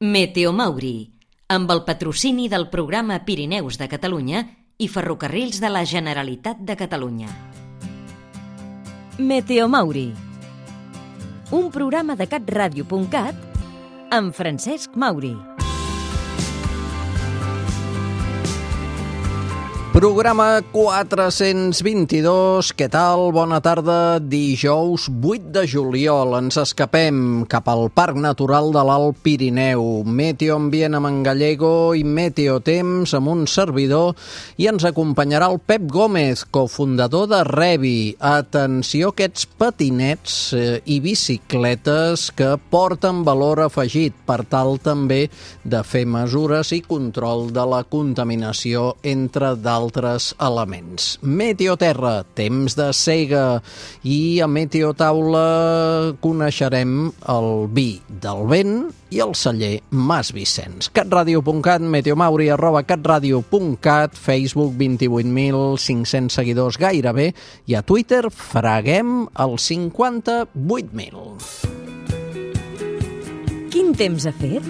Meteo Mauri, amb el patrocini del programa Pirineus de Catalunya i Ferrocarrils de la Generalitat de Catalunya. Meteo Mauri, un programa de catradio.cat amb Francesc Mauri. Programa 422, què tal? Bona tarda, dijous 8 de juliol. Ens escapem cap al Parc Natural de l'Alt Pirineu. Meteo Ambient amb en Gallego i Meteo Temps amb un servidor, i ens acompanyarà el Pep Gómez, cofundador de Revi. Atenció a aquests patinets i bicicletes que porten valor afegit per tal també de fer mesures i control de la contaminació, entre d'altres elements. Meteo Terra, temps de sega, i a Meteo Taula coneixerem el vi del vent i el celler Mas Vicenç. catradio.cat, meteomauri @catradio.cat, Facebook 28.500 seguidors gairebé, i a Twitter freguem els 58.000. Quin temps ha fet?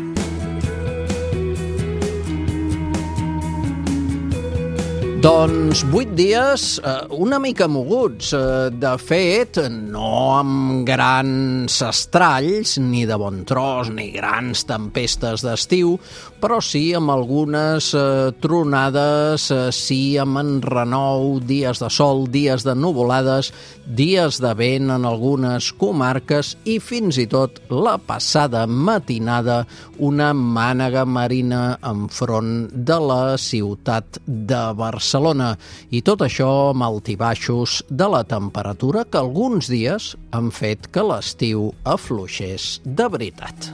Doncs 8 dies una mica moguts. De fet, no amb grans estralls, ni de bon tros, ni grans tempestes d'estiu, però sí amb algunes tronades, sí amb enrenou, dies de sol, dies de nuvolades, dies de vent en algunes comarques i fins i tot la passada matinada una mànega marina enfront de la ciutat de Barcelona. I tot això amb altibaixos de la temperatura que alguns dies han fet que l'estiu afluixés de veritat.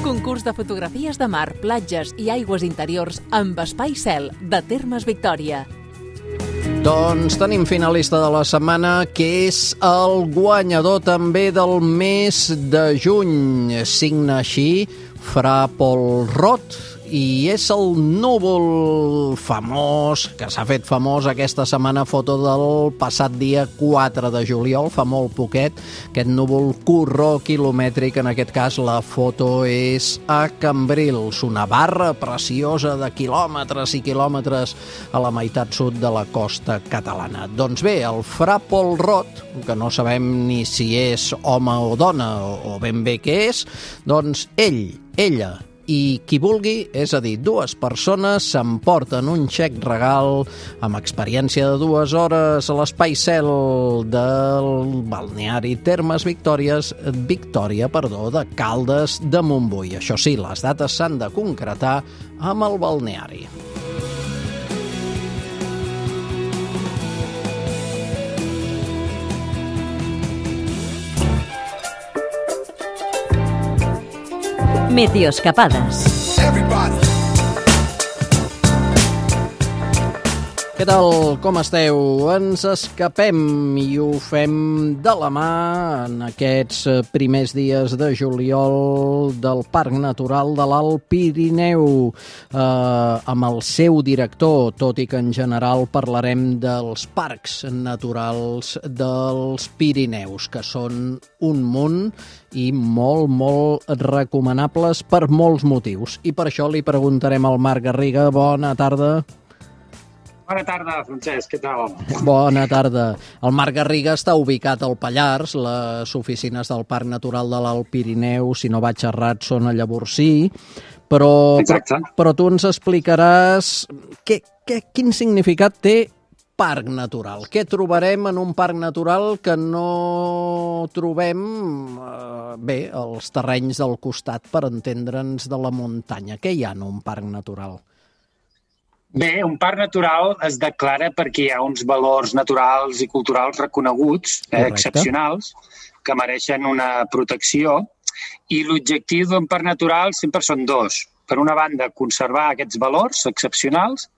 Concurs de fotografies de mar, platges i aigües interiors amb espai cel de Termes Victòria. Doncs tenim finalista de la setmana, que és el guanyador també del mes de juny. Signa així Fra Pol Rot, i és el núvol famós, que s'ha fet famós aquesta setmana, foto del passat dia 4 de juliol, fa molt poquet, aquest núvol corró quilomètric. En aquest cas la foto és a Cambrils, una barra preciosa de quilòmetres i quilòmetres a la meitat sud de la costa catalana. Doncs bé, el Fra Pol Rot, que no sabem ni si és home o dona o ben bé què és, doncs ella i qui vulgui, és a dir, dues persones, s'emporten un xec regal amb experiència de 2 hores a l'espai cel del balneari Termes Victòria de Caldes de Montbui. Això sí, les dates s'han de concretar amb el balneari. Meteoescapades. Què tal? Com esteu? Ens escapem i ho fem de la mà en aquests primers dies de juliol del Parc Natural de l'Alt Pirineu, amb el seu director, tot i que en general parlarem dels parcs naturals dels Pirineus, que són un munt i molt, molt recomanables per molts motius. I per això li preguntarem al Marc Garriga. Bona tarda. Bona tarda, Francesc, què tal? Bona tarda. El Marc Garriga està ubicat al Pallars, les oficines del Parc Natural de l'Alt Pirineu, si no vaig errat, són a Llavorsí, però tu ens explicaràs quin significat té parc natural. Què trobarem en un parc natural que no trobem als terrenys del costat, per entendre'ns, de la muntanya? Què hi ha en un parc natural? Bé, un parc natural es declara perquè hi ha uns valors naturals i culturals reconeguts, excepcionals, que mereixen una protecció, i l'objectiu d'un parc natural sempre són dos. Per una banda, conservar aquests valors excepcionals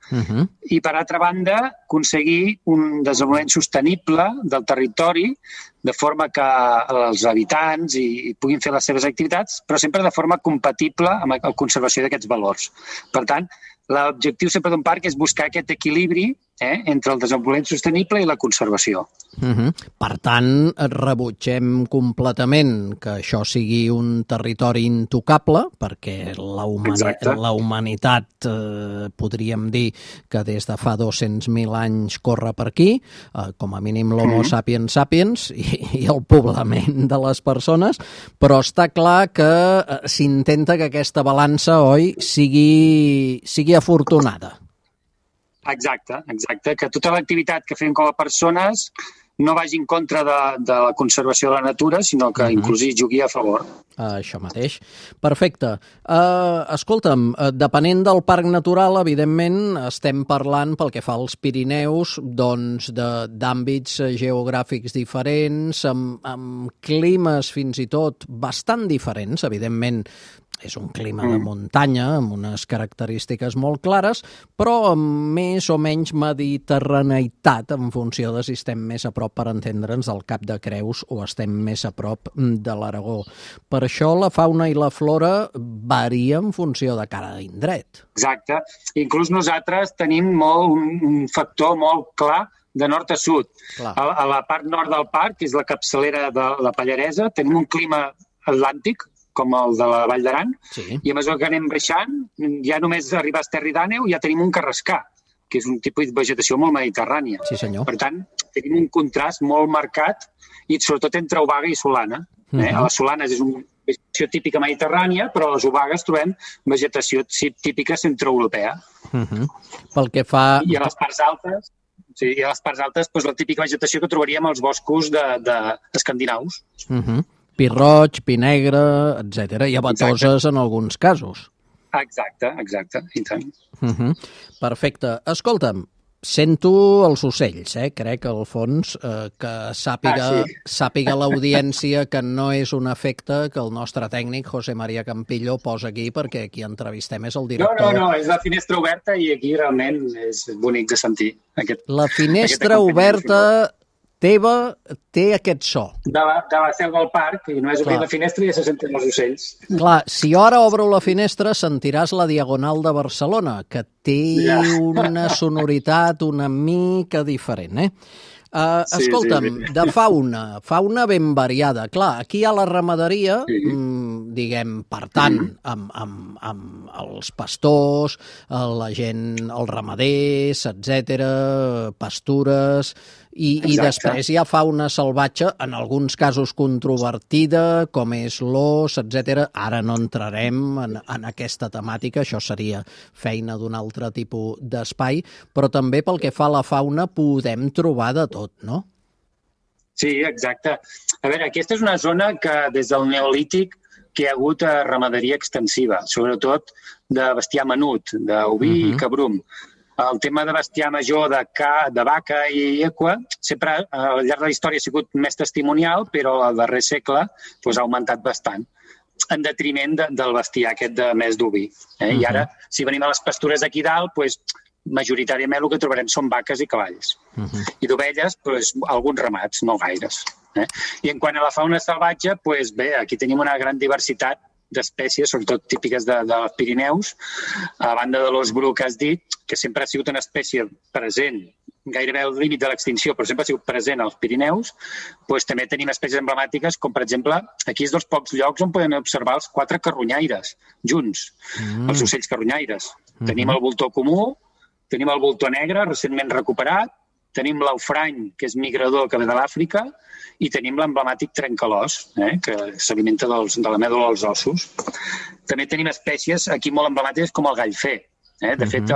i, per altra banda, aconseguir un desenvolupament sostenible del territori, de forma que els habitants hi puguin fer les seves activitats, però sempre de forma compatible amb la conservació d'aquests valors. Per tant, l'objectiu sempre d'un parc és buscar aquest equilibri entre el desenvolupament sostenible i la conservació. Per tant, rebutgem completament que això sigui un territori intocable, perquè la humanitat, podríem dir que des de fa 200.000 anys corre per aquí, com a mínim l'Homo sapiens sapiens i el poblament de les persones, però està clar que s'intenta que aquesta balança, oi, sigui afortunada. Exacte, que tota l'activitat que fem com a persones no vagi en contra de la conservació de la natura, sinó que inclús hi jugui a favor. Això mateix. Perfecte. Escolta'm, depenent del parc natural, evidentment, estem parlant, pel que fa als Pirineus, doncs d'àmbits geogràfics diferents, amb climes fins i tot bastant diferents, evidentment. És un clima de muntanya, amb unes característiques molt clares, però amb més o menys mediterraneïtat, en funció de si estem més a prop, per entendre'ns, del Cap de Creus o estem més a prop de l'Aragó. Per això la fauna i la flora varia en funció de cada indret. Exacte. Inclús nosaltres tenim un factor molt clar de nord a sud. A la part nord del parc, que és la capçalera de la Pallaresa, tenim un clima atlàntic, com el de la Vall d'Aran, i a mesura que anem baixant, ja només arribar a Esterri d'Àneu ja tenim un carrascar, que és un tipus de vegetació molt mediterrània. Sí, senyor. Per tant, tenim un contrast molt marcat, i sobretot entre Obaga i Solana. A les Solanes és una vegetació típica mediterrània, però a les Obagues trobem vegetació típica centroeuropea. Pel que fa... I a les parts altes, doncs, la típica vegetació que trobaríem als boscos escandinaus. Pi roig, pi negre, etc. I abatoses en alguns casos. Exacte, i tant. Perfecte. Escolta'm, sento els ocells, crec, al fons, que sàpiga l'audiència que no és un efecte que el nostre tècnic, José María Campillo, posa aquí perquè qui entrevistem és el director. No, és la finestra oberta i aquí realment és bonic de sentir. La finestra oberta teva té aquest so. De la seu del parc, i només obrir la finestra i ja se senten els ocells. Clar, si jo ara obro la finestra sentiràs la Diagonal de Barcelona, que té una sonoritat una mica diferent, Escolta'm, de fauna ben variada. Clar, aquí hi ha la ramaderia, diguem, per tant, amb els pastors, la gent, els ramaders, etc., pastures, i després hi ha fauna salvatge, en alguns casos controvertida, com és l'os, etc. Ara no entrarem en aquesta temàtica, això seria feina d'un altre tipus d'espai, però també pel que fa a la fauna podem trobar de tot, no? Sí, exacte. A veure, aquesta és una zona que des del Neolític que hi ha hagut ramaderia extensiva, sobretot de bestiar menut, d'oví i cabrum. El tema de bestiar major, de vaca i equa, sempre al llarg de la història ha sigut més testimonial, però al darrer segle ha augmentat bastant, en detriment del bestiar aquest de més d'oví. I ara, si venim a les pastures d'aquí dalt, majoritàriament el que trobarem són vaques i cavalls. I d'ovelles, alguns ramats, no gaires. I en quant a la fauna salvatge, bé, aquí tenim una gran diversitat d'espècies, sobretot típiques dels Pirineus, a banda de l'os bru que has dit, que sempre ha sigut una espècie present, gairebé al límit de l'extinció, però sempre ha sigut present als Pirineus, també tenim espècies emblemàtiques, com per exemple, aquí és dels pocs llocs on podem observar els 4 carronyaires, junts, els ocells carronyaires. Tenim el voltor comú, tenim el voltor negre, recentment recuperat, tenim l'aufrany, que és migrador, que ve de l'Àfrica, i tenim l'emblemàtic trencalòs, que s'alimenta de la mèdula dels ossos. També tenim espècies aquí molt emblemàtiques com el gallfer. De fet,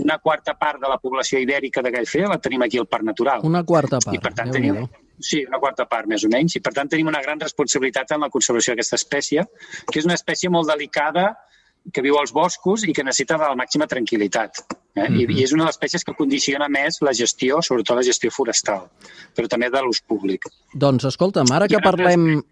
una quarta part de la població ibèrica de gallfer la tenim aquí al Parc Natural. Una quarta part, I per tant sí, una quarta part, més o menys. I per tant tenim una gran responsabilitat en la conservació d'aquesta espècie, que és una espècie molt delicada, que viu als boscos i que necessita de la màxima tranquil·litat. I és una de les espècies que condiciona més la gestió, sobretot la gestió forestal, però també de l'ús públic. Doncs escolta'm, ara que parlem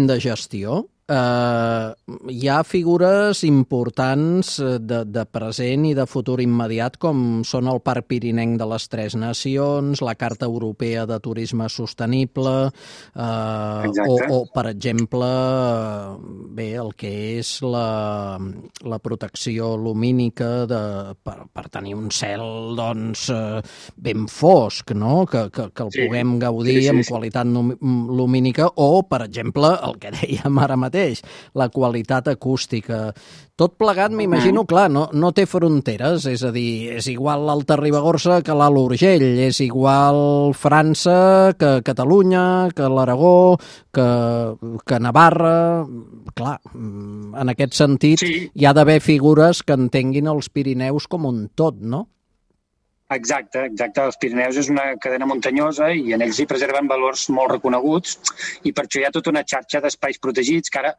de gestió, hi ha figures importants de present i de futur immediat, com són el Parc Pirinenc de les Tres Nacions, la Carta Europea de Turisme Sostenible, o, per exemple, el que és la protecció lumínica per tenir un cel ben fosc, no? Que el puguem gaudir amb qualitat lumínica, o, per exemple, el que dèiem ara mateix, la qualitat acústica. Tot plegat, m'imagino, clar, no té fronteres, és a dir, és igual l'Alta Ribagorça que l'Alt Urgell, és igual França que Catalunya, que l'Aragó, que Navarra. Clar, en aquest sentit hi ha d'haver figures que entenguin els Pirineus com un tot, no? Exacte. Els Pirineus és una cadena muntanyosa i en ells hi preserven valors molt reconeguts i per això hi ha tota una xarxa d'espais protegits que ara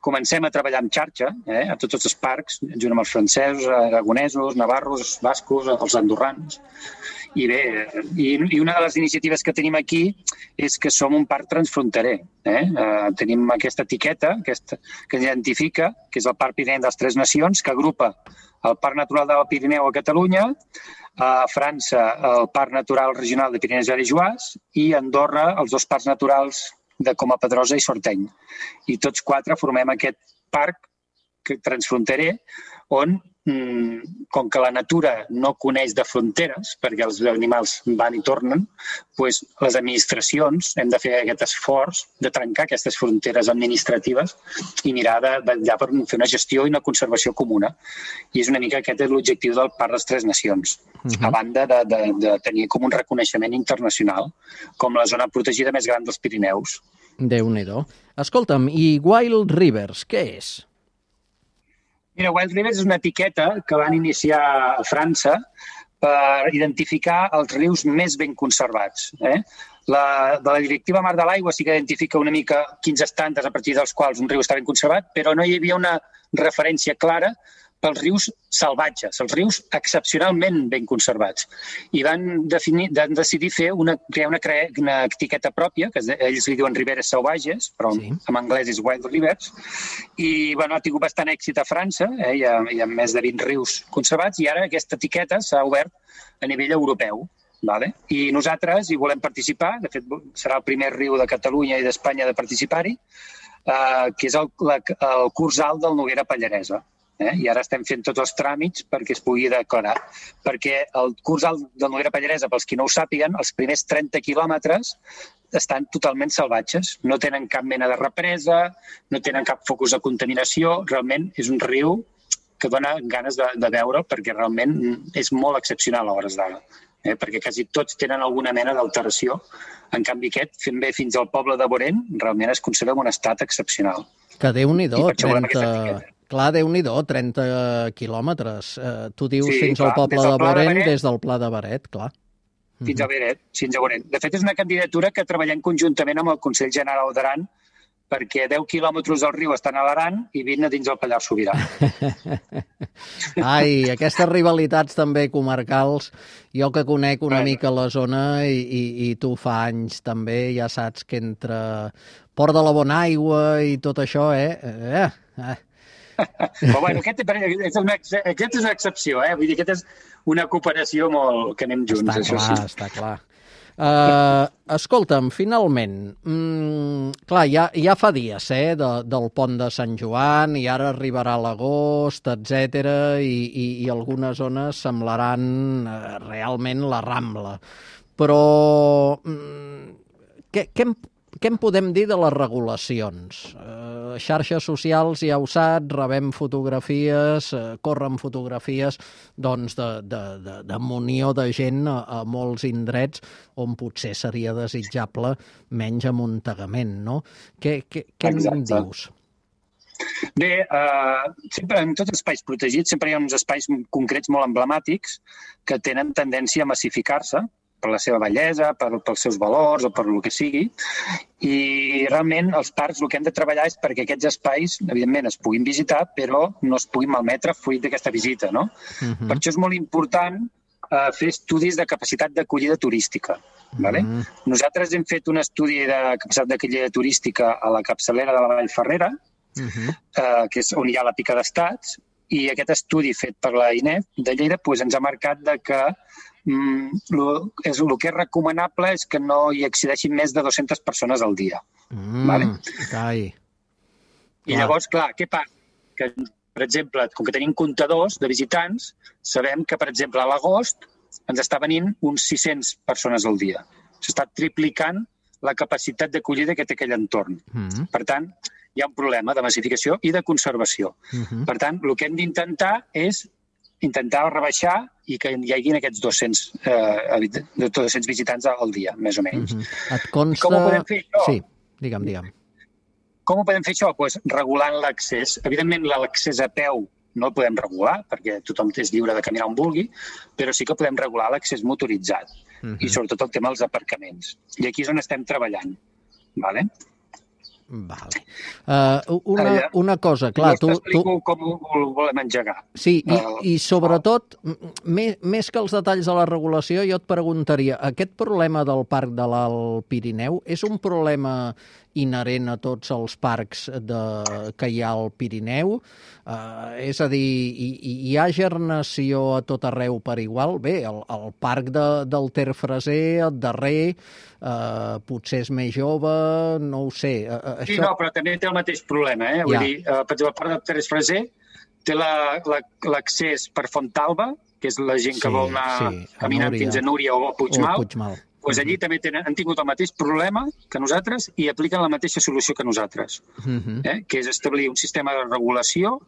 comencem a treballar en xarxa a tots els parcs, junt amb els francesos, aragonesos, navarros, bascos, els andorrans. I bé, i una de les iniciatives que tenim aquí és que som un parc transfronterer. Tenim aquesta etiqueta que ens identifica, que és el Parc Pirinenc de les Tres Nacions, que agrupa el Parc Natural del Pirineu a Catalunya, a França el Parc Natural Regional de Pirineus i Juàs i a Andorra els dos parcs naturals de Coma Pedrosa i Sorteny. I tots quatre formem aquest parc transfronterer on, com que la natura no coneix de fronteres, perquè els animals van i tornen, doncs les administracions hem de fer aquest esforç de trencar aquestes fronteres administratives i mirar de vetllar per fer una gestió i una conservació comuna. I és una mica aquest l'objectiu del Parc de les Tres Nacions, a banda de tenir com un reconeixement internacional, com la zona protegida més gran dels Pirineus. Déu-n'hi-do. Escolta'm, i Wild Rivers, què és? Mira, Wild Rivers és una etiqueta que van iniciar a França per identificar els rius més ben conservats. De la directiva Mar de l'Aigua sí que identifica una mica quins estàndards a partir dels quals un riu està ben conservat, però no hi havia una referència clara pels rius salvatges, els rius excepcionalment ben conservats. I van decidir crear una etiqueta pròpia, que ells li diuen Riberes Salvages, però en anglès és Wild Rivers, i ha tingut bastant èxit a França, hi ha més de 20 rius conservats, i ara aquesta etiqueta s'ha obert a nivell europeu. I nosaltres hi volem participar, de fet serà el primer riu de Catalunya i d'Espanya de participar-hi, que és el curs alt del Noguera Pallaresa. I ara estem fent tots els tràmits perquè es pugui declarar. Perquè el curs alt del Noguera Pallaresa, pels qui no ho sàpiguen, els primers 30 quilòmetres estan totalment salvatges. No tenen cap mena de represa, no tenen cap focus de contaminació. Realment és un riu que dona ganes de veure perquè realment és molt excepcional a hores d'ara. Perquè quasi tots tenen alguna mena d'alteració. En canvi aquest, fent bé fins al poble de Borén, realment es conserva en un estat excepcional. Que Déu-n'hi-do, 30 quilòmetres. Tu dius fins al poble de Borén, des del Pla de Beret, clar. Fins a Borén. De fet, és una candidatura que treballem conjuntament amb el Consell General d'Aran, perquè 10 quilòmetres del riu estan a l'Aran i 20 a dins del Pallars Sobirà. Ai, aquestes rivalitats també comarcals, jo que conec una mica la zona i tu fa anys també, ja saps que entre Port de la Bonaigua i tot això, Però bueno, aquest és una excepció, vull dir, aquest és una cooperació molt que anem junts. Està clar. Escolta'm, finalment, clar, ja fa dies del pont de Sant Joan i ara arribarà l'agost, etc. i algunes zones semblaran realment la Rambla. Però què en podem dir de les regulacions? Xarxes socials, ja ho saps, rebem fotografies, corren fotografies de munió de gent a molts indrets on potser seria desitjable menys amuntegament, no? Què en dius? Bé, sempre en tots els espais protegits sempre hi ha uns espais concrets molt emblemàtics que tenen tendència a massificar-se per la seva bellesa, pels seus valors o per el que sigui. I realment els parcs el que hem de treballar és perquè aquests espais, evidentment, es puguin visitar, però no es puguin malmetre fruit d'aquesta visita, no? Per això és molt important fer estudis de capacitat d'acollida turística. Nosaltres hem fet un estudi de capacitat d'acollida turística a la capçalera de la Vall Ferrera, que és on hi ha la pica d'estats, i aquest estudi fet per la INEF de Lleida ens ha marcat que el que és recomanable és que no hi accedeixin més de 200 persones al dia. I llavors, clar, què passa? Que, per exemple, com que tenim comptadors de visitants, sabem que, per exemple, a l'agost ens està venint uns 600 persones al dia. S'està triplicant la capacitat d'acollida que té aquell entorn. Per tant, hi ha un problema de massificació i de conservació. Per tant, el que hem d'intentar és intentar rebaixar i que hi hagi aquests 200 visitants al dia, més o menys. Et consta... Com ho podem fer això? Sí, digue'm. Com ho podem fer això? Doncs regulant l'accés. Evidentment, l'accés a peu no el podem regular, perquè tothom és lliure de caminar on vulgui, però sí que podem regular l'accés motoritzat i sobretot el tema dels aparcaments. I aquí és on estem treballant. Vale? Una cosa, clar... Jo t'explico com ho volem engegar. Sí, i sobretot, més que els detalls de la regulació, jo et preguntaria, aquest problema del parc de l'Alt Pirineu és un problema inherent a tots els parcs que hi ha al Pirineu? És a dir, hi ha gernació a tot arreu per igual? Bé, el parc del Ter Freser, el darrer, potser és més jove, no ho sé. Sí, no, però també té el mateix problema. Vull dir, per exemple, el parc del Ter Freser té l'accés per Fontalba, que és la gent que vol anar caminant fins a Núria o a Puigmal. Doncs allí també han tingut el mateix problema que nosaltres i apliquen la mateixa solució que nosaltres, que és establir un sistema de regulació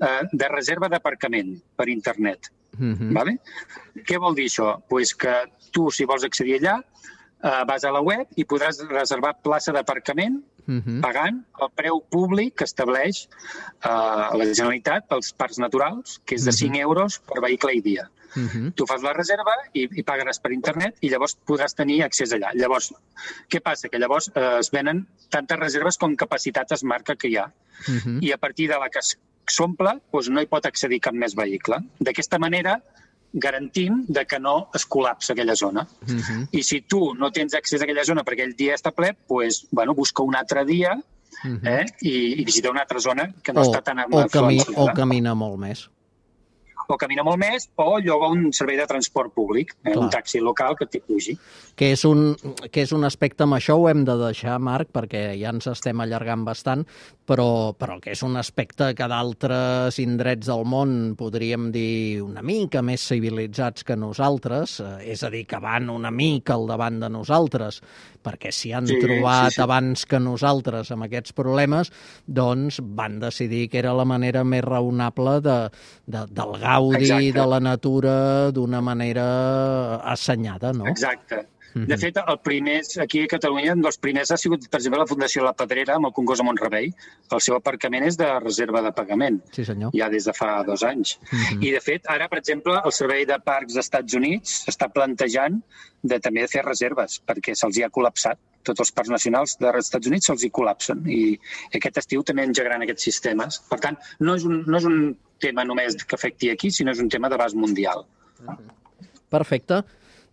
de reserva d'aparcament per internet. Què vol dir això? Doncs que tu, si vols accedir allà, vas a la web i podràs reservar plaça d'aparcament pagant el preu públic que estableix la Generalitat pels parcs naturals, que és de 5 euros per vehicle i dia. Tu fas la reserva i pagaràs per internet i llavors podràs tenir accés allà. Llavors, què passa? Que llavors es venen tantes reserves com capacitat es marca que hi ha. I a partir de la que s'omple, no hi pot accedir cap més vehicle. D'aquesta manera garantim que no es col·lapsa aquella zona. I si tu no tens accés a aquella zona perquè aquell dia està ple, busca un altre dia i visita una altra zona que no està tan afluenciada. O camina molt més. O camina molt més, o lloga un servei de transport públic, un taxi local que t'hi pugi. Que és un aspecte, amb això ho hem de deixar, Marc, perquè ja ens estem allargant bastant, però que és un aspecte que d'altres indrets del món podríem dir una mica més civilitzats que nosaltres, és a dir, que van una mica al davant de nosaltres, perquè s'hi han trobat abans que nosaltres amb aquests problemes, doncs van decidir que era la manera més raonable del gaudi de la natura d'una manera assenyada, no? Exacte. De fet, el primer, aquí a Catalunya, un dels primers ha sigut, per exemple, la Fundació La Pedrera amb el Congost de Mont-rebei. El seu aparcament és de reserva de pagament. Sí, senyor. Ja des de fa 2 anys. I, de fet, ara, per exemple, el Servei de Parcs dels Estats Units està plantejant també de fer reserves, perquè se'ls hi ha col·lapsat. Tots els parcs nacionals dels Estats Units se'ls hi col·lapsen. I aquest estiu també engegaran aquests sistemes. Per tant, no és un tema només que afecti aquí, sinó és un tema d'abast mundial. Perfecte.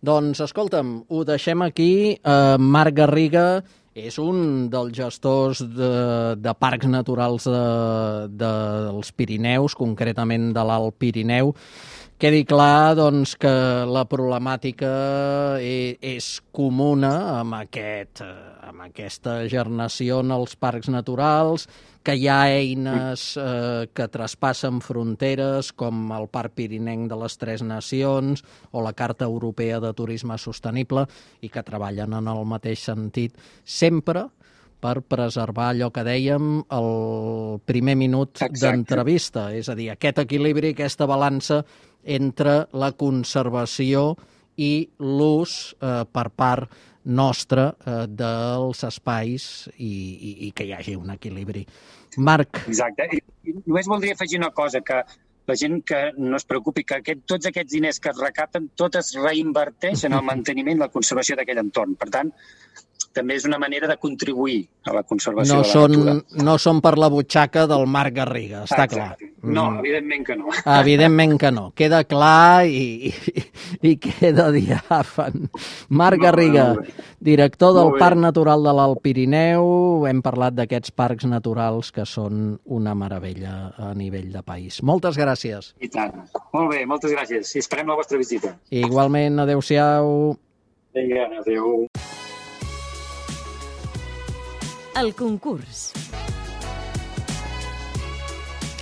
Doncs, escolta'm, ho deixem aquí. Marc Garriga és un dels gestors de parcs naturals dels Pirineus, concretament de l'Alt Pirineu. Quedi clar, doncs, que la problemàtica és comuna amb aquesta gernació en els parcs naturals, que hi ha eines que traspassen fronteres, com el Parc Pirinenc de les Tres Nacions o la Carta Europea de Turisme Sostenible, i que treballen en el mateix sentit, sempre per preservar allò que dèiem el primer minut d'entrevista, és a dir, aquest equilibri, aquesta balança entre la conservació i l'ús per part nostra dels espais i que hi hagi un equilibri. Marc. Exacte. I només voldria afegir una cosa, que la gent que no es preocupi, que tots aquests diners que es recapten, tot es reinverteix en el manteniment i la conservació d'aquell entorn. Per tant, també és una manera de contribuir a la conservació de la natura. No són per la butxaca del Marc Garriga, està clar. No, evidentment que no. Evidentment que no. Queda clar i queda diàfan. Marc Garriga, director del Parc Natural de l'Alt Pirineu. Hem parlat d'aquests parcs naturals que són una meravella a nivell de país. Moltes gràcies. I tant. Molt bé, moltes gràcies. I esperem la vostra visita. Igualment, adeu-siau. Vinga, adeu. El concurs.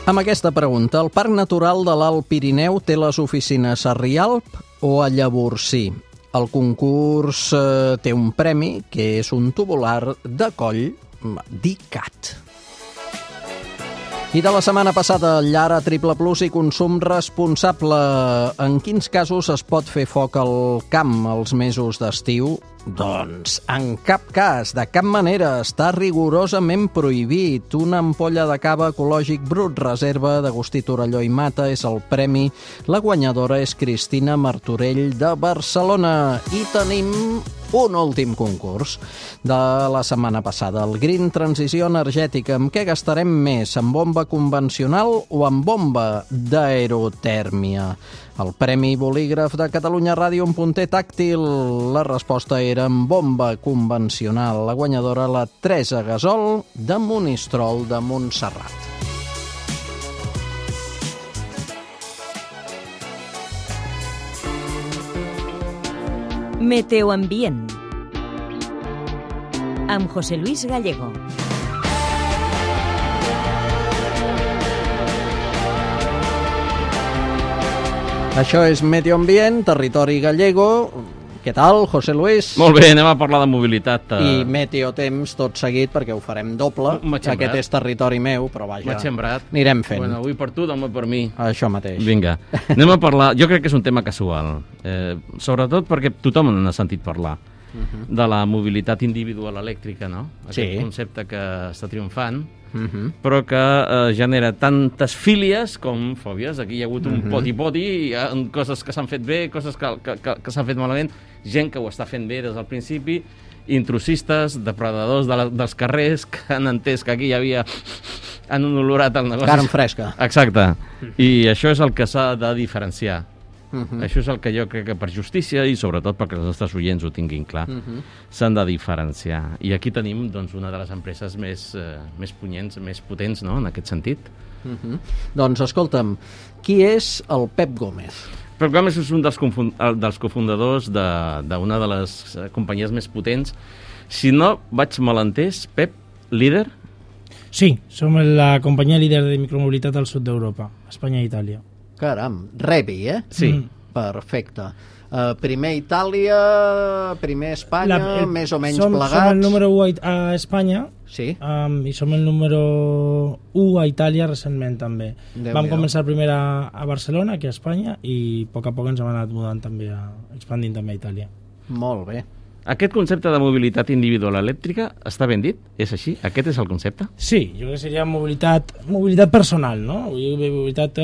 Amb aquesta pregunta, el Parc Natural de l'Alt Pirineu té les oficines a Rialp o a Llavorsí? El concurs té un premi, que és un tubular de coll d'ICAT. I de la setmana passada, llar a Triple Plus i consum responsable. En quins casos es pot fer foc al camp els mesos d'estiu? Doncs en cap cas, de cap manera, està rigorosament prohibit. Una ampolla de cava ecològic brut reserva d'Agustí Torelló i Mata és el premi. La guanyadora és Cristina Martorell de Barcelona. I tenim un últim concurs de la setmana passada, el Green Transició Energètica. Amb què gastarem més, amb bomba convencional o amb bomba d'aerotèrmia? El Premi Bolígraf de Catalunya Ràdio, un punter tàctil. La resposta era amb bomba convencional. La guanyadora, la Teresa Gasol, de Monistrol de Montserrat. Meteoambient amb José Luis Gallego. Això és Meteoambient, territori gallego. Què tal, José Luis? Molt bé, anem a parlar de mobilitat. I meteotemps tot seguit, perquè ho farem doble. Aquest és territori meu, però vaja, m'ha sembrat. Anirem fent. Bueno, avui per tu, demà per mi. Això mateix. Vinga, anem a parlar. Jo crec que és un tema casual, sobretot perquè tothom n'ha sentit parlar, de la mobilitat individual elèctrica, no? Aquest concepte que està triomfant, però que genera tantes fílies com fòbies. Aquí hi ha hagut un poti-poti, hi ha coses que s'han fet bé, coses que s'han fet malament, gent que ho està fent bé des del principi, intrusistes, depredadors dels carrers, que han entès que aquí hi havia... han olorat el negoci. Carn fresca. Exacte. I això és el que s'ha de diferenciar. Això és el que jo crec que per justícia i sobretot perquè els nostres oients ho tinguin clar, s'han de diferenciar. I aquí tenim doncs, una de les empreses més punyents, més potents, no?, en aquest sentit. Doncs escolta'm, qui és el Pep Gómez? Pep Gómez és un dels cofundadors d'una de les companyies més potents. Si no vaig malentès, Pep, líder? Sí, som la companyia líder de micromobilitat al sud d'Europa, Espanya i Itàlia. Caram, Rebi, Sí. Perfecte. Primer Itàlia, primer Espanya, més o menys plegats. Som el número 1 a Espanya, sí. I som el número 1 a Itàlia recentment també. Vam començar primer a Barcelona, aquí a Espanya, i a poc ens hem anat mudant també, expandint també a Itàlia. Molt bé. Aquest concepte de mobilitat individual elèctrica està ben dit? És així? Aquest és el concepte? Sí, jo crec que seria mobilitat personal, no? Mobilitat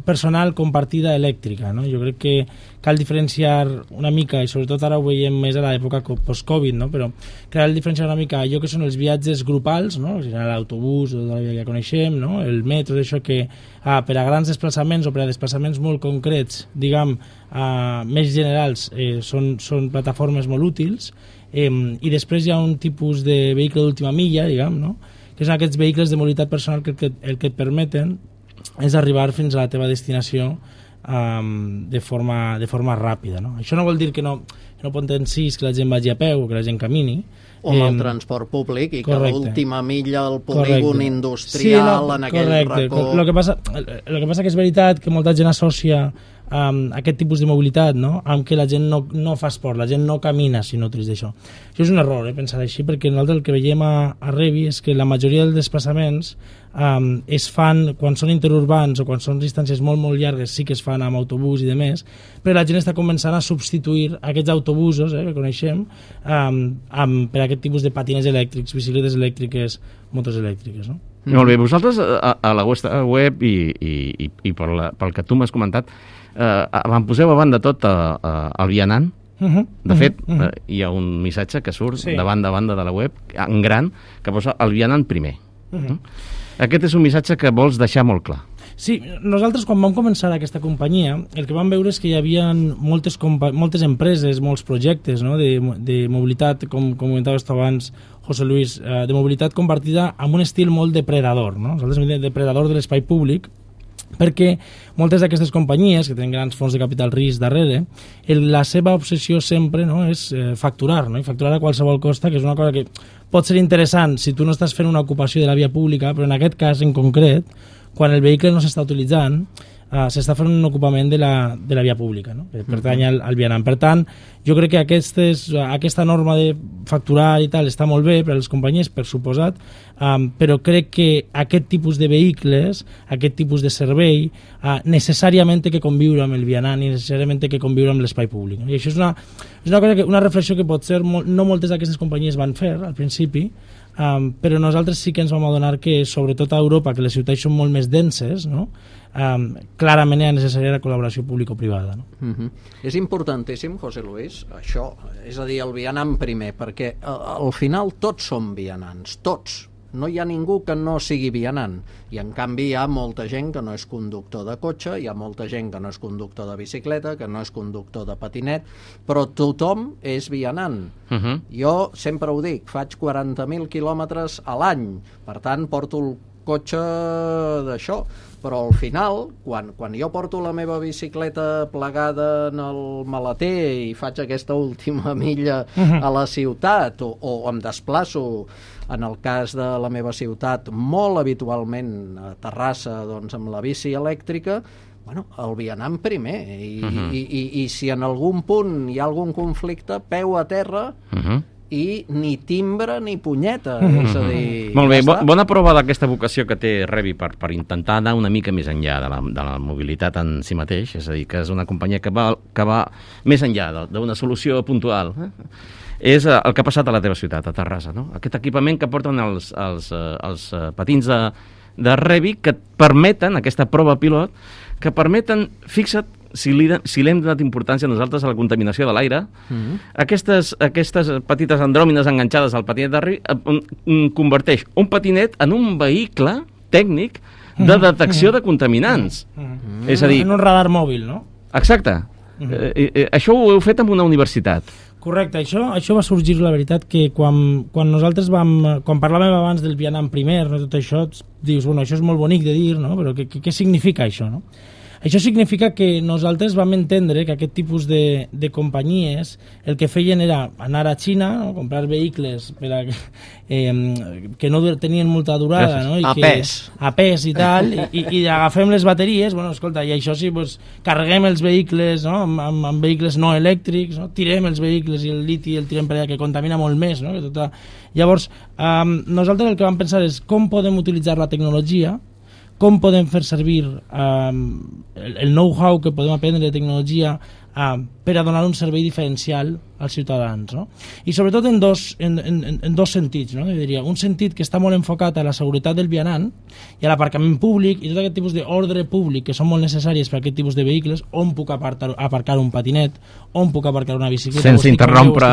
personal compartida elèctrica, no? Jo crec que cal diferenciar una mica, i sobretot ara ho veiem més a l'època post-Covid, no? Però cal diferenciar una mica allò que són els viatges grupals, no? L'autobús, la via que ja coneixem, no? El metro, d'això que per a grans desplaçaments o per a desplaçaments molt concrets, diguem, més generals, són plataformes molt útils, i després hi ha un tipus de vehicle d'última milla, diguem, no? Que són aquests vehicles de mobilitat personal que el que et permeten és arribar fins a la teva destinació de forma ràpida, no? Això no vol dir que no potencis que la gent vagi a peu o que la gent camini, o amb el transport públic i que l'última milla al polígon industrial en aquell racó... El que passa que és veritat que molta gent associa aquest tipus de mobilitat, no?, amb que la gent no fa esport, la gent no camina si no utilitza això. Això és un error, pensar així, perquè nosaltres el que veiem a Rebi és que la majoria dels desplaçaments es fan quan són interurbans o quan són distàncies molt, molt llargues, sí que es fan amb autobús i demés, però la gent està començant a substituir aquests autobusos que coneixem per aquest tipus de patines elèctrics, bicicletes elèctriques, motos elèctriques, no? Molt bé, vosaltres a la vostra web i pel que tu m'has comentat vam poseu a banda tot el vianant. De fet, hi ha un missatge que surt de banda a banda de la web en gran que posa el vianant primer. Aquest és un missatge que vols deixar molt clar. Sí, nosaltres quan vam començar aquesta companyia el que vam veure és que hi havia moltes empreses, molts projectes, no? de mobilitat, com comentaves tu abans, José Luis, de mobilitat compartida amb un estil molt depredador. No? Nosaltres diem depredador de l'espai públic, perquè moltes d'aquestes companyies que tenen grans fons de capital risc darrere, la seva obsessió sempre, no, és facturar, no? I facturar a qualsevol costa, que és una cosa que pot ser interessant si tu no estàs fent una ocupació de la via pública, però en aquest cas en concret, quan el vehicle no s'està utilitzant, s'està fent un ocupament de la via pública, no? Que pertany al vianant. Per tant, jo crec que aquesta norma de facturar i tal està molt bé per a les companyies, per suposat, però crec que aquest tipus de vehicles, aquest tipus de servei, necessàriament té que conviure amb el vianant i necessàriament té que conviure amb l'espai públic. No? I això és una reflexió que potser no moltes d'aquestes companyies van fer al principi, però nosaltres sí que ens vam adonar que, sobretot a Europa, que les ciutats són molt més denses, no? Clarament era necessària la col·laboració público-privada. No? És importantíssim, José Luis, això, és a dir, el vianant primer, perquè al final tots som vianants, tots. No hi ha ningú que no sigui vianant, i en canvi hi ha molta gent que no és conductor de cotxe, hi ha molta gent que no és conductor de bicicleta, que no és conductor de patinet, però tothom és vianant. Jo sempre ho dic, faig 40.000 quilòmetres a l'any, per tant porto el cotxe d'això, però al final, quan jo porto la meva bicicleta plegada en el maleter i faig aquesta última milla a la ciutat, o em desplaço, en el cas de la meva ciutat, molt habitualment a Terrassa, doncs amb la bici elèctrica, bueno, el vianant primer, i si en algun punt hi ha algun conflicte, peu a terra, i ni timbre ni punyeta, és a dir... Molt bé, bona prova d'aquesta vocació que té Revi per intentar anar una mica més enllà de la mobilitat en si mateix, és a dir, que és una companyia que va més enllà d'una solució puntual, és el que ha passat a la teva ciutat, a Terrassa, no? Aquest equipament que porten els patins de Revi, que permeten, aquesta prova pilot, que permeten, fixa't, si li hem donat importància nosaltres a la contaminació de l'aire, aquestes petites andròmines enganxades al patinet de Revi converteix un patinet en un vehicle tècnic de detecció de contaminants. És a dir... En un radar mòbil, no? Exacte. Això ho heu fet amb una universitat. Correcte, això va sorgir, la veritat, que quan nosaltres quan parlàvem abans del vianant primer, no, tot això, dius, bueno, això és molt bonic de dir, no? Però què significa això, no? Això significa que nosaltres vam entendre que aquest tipus de companyies el que feien era anar a Xina, no? Comprar vehicles que no tenien molta durada, no? A pes i tal, i agafem les bateries, bueno, escolta, i això sí, pues, carreguem els vehicles, no? amb vehicles no elèctrics, no? Tirem els vehicles i el liti el tirem per allà, que contamina molt més, no? Llavors, nosaltres el que vam pensar és com podem utilitzar la tecnologia, com podem fer servir el know-how que podem aprendre de tecnologia per a donar un servei diferencial als ciutadans, no? I sobretot en dos sentits, no? Jo diria, un sentit que està molt enfocat a la seguretat del vianant i a l'aparcament públic i tot aquest tipus d'ordre públic que són molt necessàries per a aquest tipus de vehicles, on puc aparcar un patinet, on puc aparcar una bicicleta, sense interrompre...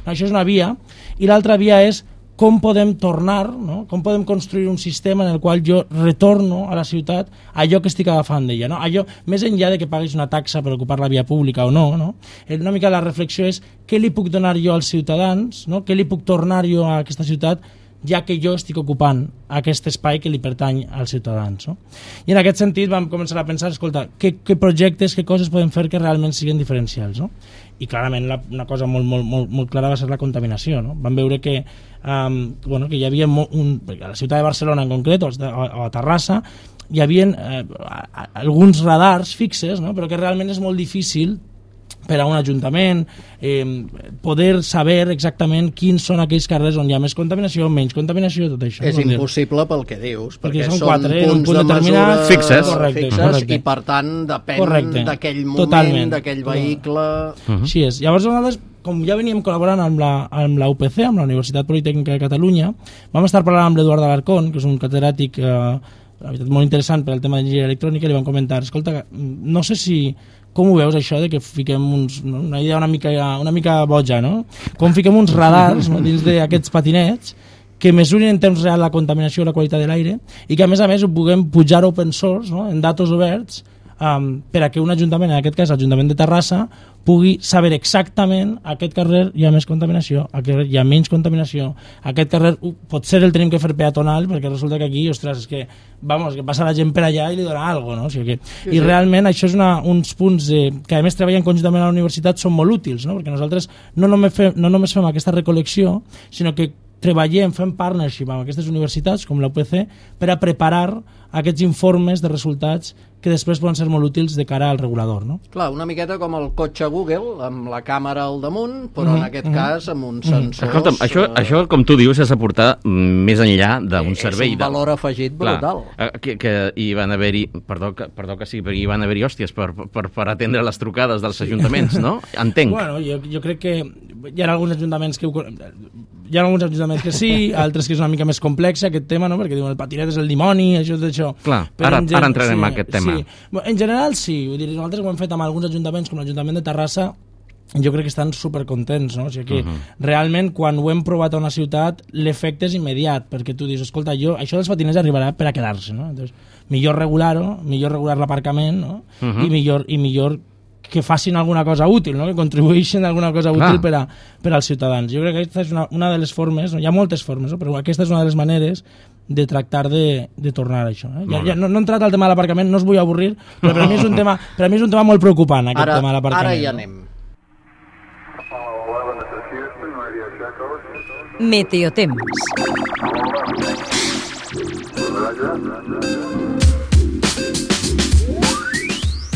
Això és una via, i l'altra via és com podem tornar, no? Com podem construir un sistema en el qual jo retorno a la ciutat allò que estic agafant d'ella, no? Allò, més enllà de que paguis una taxa per ocupar la via pública o no, no? Una mica la reflexió és què li puc donar jo als ciutadans, no? Què li puc tornar jo a aquesta ciutat ja que jo estic ocupant aquest espai que li pertany als ciutadans, no? I en aquest sentit vam començar a pensar, escolta, què projectes, què coses podem fer que realment siguin diferencials, no? I clarament una cosa molt clara va ser la contaminació, no? Vam veure que que hi havia a la ciutat de Barcelona en concret, o a Terrassa, hi havia alguns radars fixes, no? Però que realment és molt difícil per a un ajuntament poder saber exactament quins són aquells carrers on hi ha més contaminació, menys contaminació, tot això. És impossible pel que dius, perquè són 4, punts de mesura fixes, correcte. I per tant depèn d'aquell moment, d'aquell vehicle... Així és. Llavors nosaltres, com ja veníem col·laborant amb la UPC, amb la Universitat Politècnica de Catalunya, vam estar parlant amb l'Eduard Alarcón, que és un catedràtic la veritat molt interessant per al tema d'enginyeria electrònica, i li vam comentar, escolta, no sé si... Com ho veus, això, de que fiquem una idea una mica boja, no? Com fiquem uns radars, no, dins d'aquests patinets que mesurin en temps real la contaminació i la qualitat de l'aire i que a més ho puguem pujar open source, no? En datos oberts, per a que un ajuntament, en aquest cas l'Ajuntament de Terrassa, pugui saber exactament a aquest carrer hi ha més contaminació, a aquest carrer hi ha menys contaminació, a aquest carrer potser el tenim que fer peatonal perquè resulta que aquí, ostres, és que, que passa la gent per allà i li dona alguna cosa, no? O sigui que, i realment això és uns punts que a més treballen conjuntament a la universitat són molt útils, no? Perquè nosaltres no només fem aquesta recol·lecció, sinó que treballem, fem partnership amb aquestes universitats com la UPC per a preparar aquests informes de resultats que després poden ser molt útils de cara al regulador, no? Clar, una miqueta com el cotxe Google, amb la càmera al damunt, però en aquest cas amb uns sensors... Escolta'm, això, com tu dius, és aportar més enllà d'un servei... És un valor afegit brutal. Que hi van haver-hi, perdó que sigui, perquè hi van haver-hi hòsties per atendre les trucades dels ajuntaments, no? Entenc. Bueno, jo crec que hi ha alguns ajuntaments que... Hi ha alguns ajuntaments que sí, altres que és una mica més complex aquest tema, no? Perquè diuen el patinet és el dimoni, això. Clar, ara entrarem en aquest tema. Sí. En general sí, vull dir, nosaltres ho hem fet amb alguns ajuntaments com l'Ajuntament de Terrassa, jo crec que estan supercontents, no? O sigui que realment quan ho hem provat a una ciutat l'efecte és immediat, perquè tu dius, escolta, això dels patinets arribarà per a quedar-se, no? Entonces, millor regular-ho, millor regular l'aparcament, no? I millor que facin alguna cosa útil, no? Que contribueixin a alguna cosa útil per als ciutadans. Jo crec que aquesta és una de les formes, no? Hi ha moltes formes, no? Però aquesta és una de les maneres de tractar de tornar a això. Ja no he entrat al tema de l'aparcament, no us vull avorrir, però per mi és un tema molt preocupant, aquest tema de l'aparcament. Ara hi anem. Meteotemps.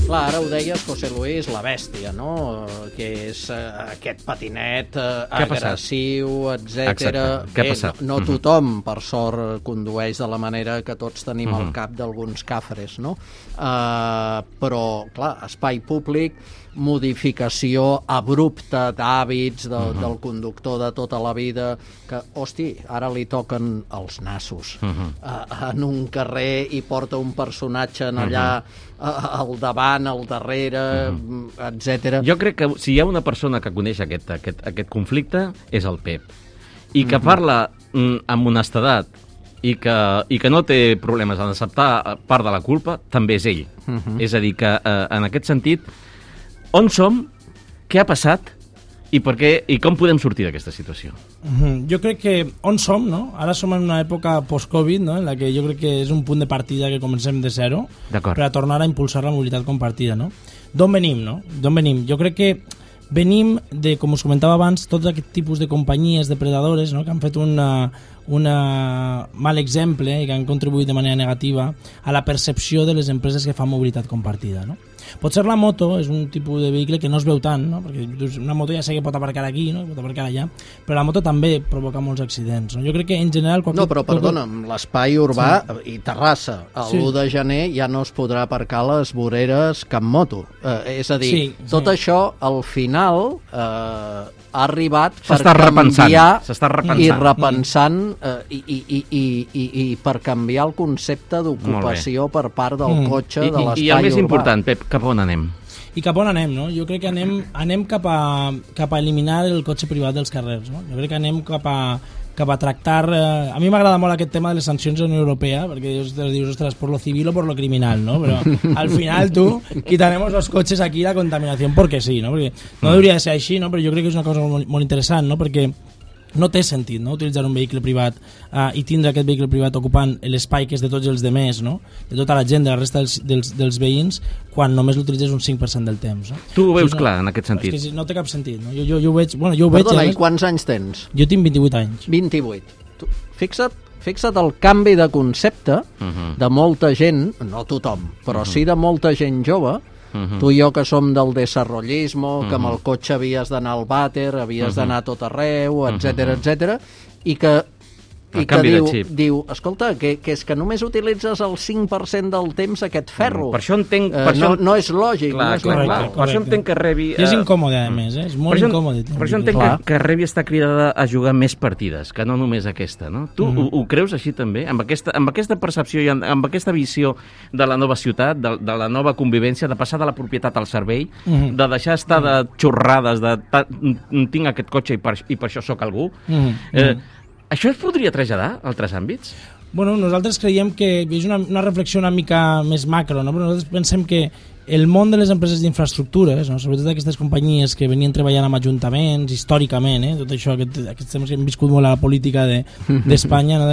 Clar, ara ho deies, José Luis, la bèstia, no? Que és aquest patinet agressiu, etc. Què ha passat? No tothom, per sort, condueix de la manera que tots tenim al cap d'alguns cafres, no? Però, clar, espai públic, modificació abrupta d'hàbits del conductor de tota la vida, que, hosti, ara li toquen els nassos en un carrer i porta un personatge allà al davant, al darrere, etc. Jo crec que si hi ha una persona que coneix aquest conflicte és el Pep, i que parla amb honestedat i que no té problemes en acceptar part de la culpa, també és ell. És a dir, que en aquest sentit, on som, què ha passat i per què i com podem sortir d'aquesta situació? Jo crec que on som, no? Ara som en una època post-Covid, no? En la que jo crec que és un punt de partida que comencem de zero per a tornar a impulsar la mobilitat compartida, no? D'on venim, no? D'on venim? Jo crec que venim de, com us comentava abans, tots aquest tipus de companyies depredadores, no? Que han fet un mal exemple i que han contribuït de manera negativa a la percepció de les empreses que fan mobilitat compartida, no? Potser la moto és un tipus de vehicle que no es veu tant, no? Perquè una moto ja sé que pot aparcar aquí, no? Pot aparcar allà, però la moto també provoca molts accidents, no? Jo crec que en general... No, però perdona, l'espai urbà i Terrassa, l'1 de gener ja no es podrà aparcar a les voreres cap moto. És a dir, tot això al final ha arribat per canviar i repensant i per canviar el concepte d'ocupació per part del cotxe, de l'espai urbà. I el més important, Pep, cap on anem? I cap on anem, no? Jo crec que anem cap a eliminar el cotxe privat dels carrers, no? Jo crec que anem cap a tractar... A mi m'agrada molt aquest tema de les sancions de la Unió Europea, perquè dius, ostres, por lo civil o por lo criminal, no? Però al final tú, quitaremos los coches aquí la contaminación porque sí, no? Perquè no hauria de ser així, no? Però jo crec que és una cosa molt interessant, no? Perquè no té sentit, no? Utilitzar un vehicle privat i tindre aquest vehicle privat ocupant l'espai que és de tots els demés, no? De tota la gent, de la resta dels veïns, quan només l'utilitzes un 5% del temps, no? Tu ho veus clar, en aquest sentit? És que no té cap sentit, no? Jo ho veig... Perdona, i quants anys tens? Jo tinc 28 anys. 28. Fixa't el canvi de concepte de molta gent, no tothom, però sí de molta gent jove. Tu i jo que som del desarrollismo, que amb el cotxe havies d'anar al vàter, havies d'anar a tot arreu, etc, i que diu, escolta, que és que només utilitzes el 5% del temps aquest ferro. Per això entenc... No és lògic. Per això entenc que rebi... És incòmode, a més, és molt incòmode. Per això entenc que rebi està cridada a jugar més partides, que no només aquesta, no? Tu ho creus així també? Amb aquesta percepció i amb aquesta visió de la nova ciutat, de la nova convivència, de passar de la propietat al servei, de deixar estar de xorrades, de tinc aquest cotxe i per això sóc algú... Això es podria traslladar a altres àmbits? Bueno, nosaltres creiem que és una reflexió una mica més macro, no? Però nosaltres pensem que el món de les empreses d'infraestructures, no? Sobretot aquestes companyies que venien treballant amb ajuntaments històricament, tot això, aquests temes que hem viscut molt a la política d'Espanya, no?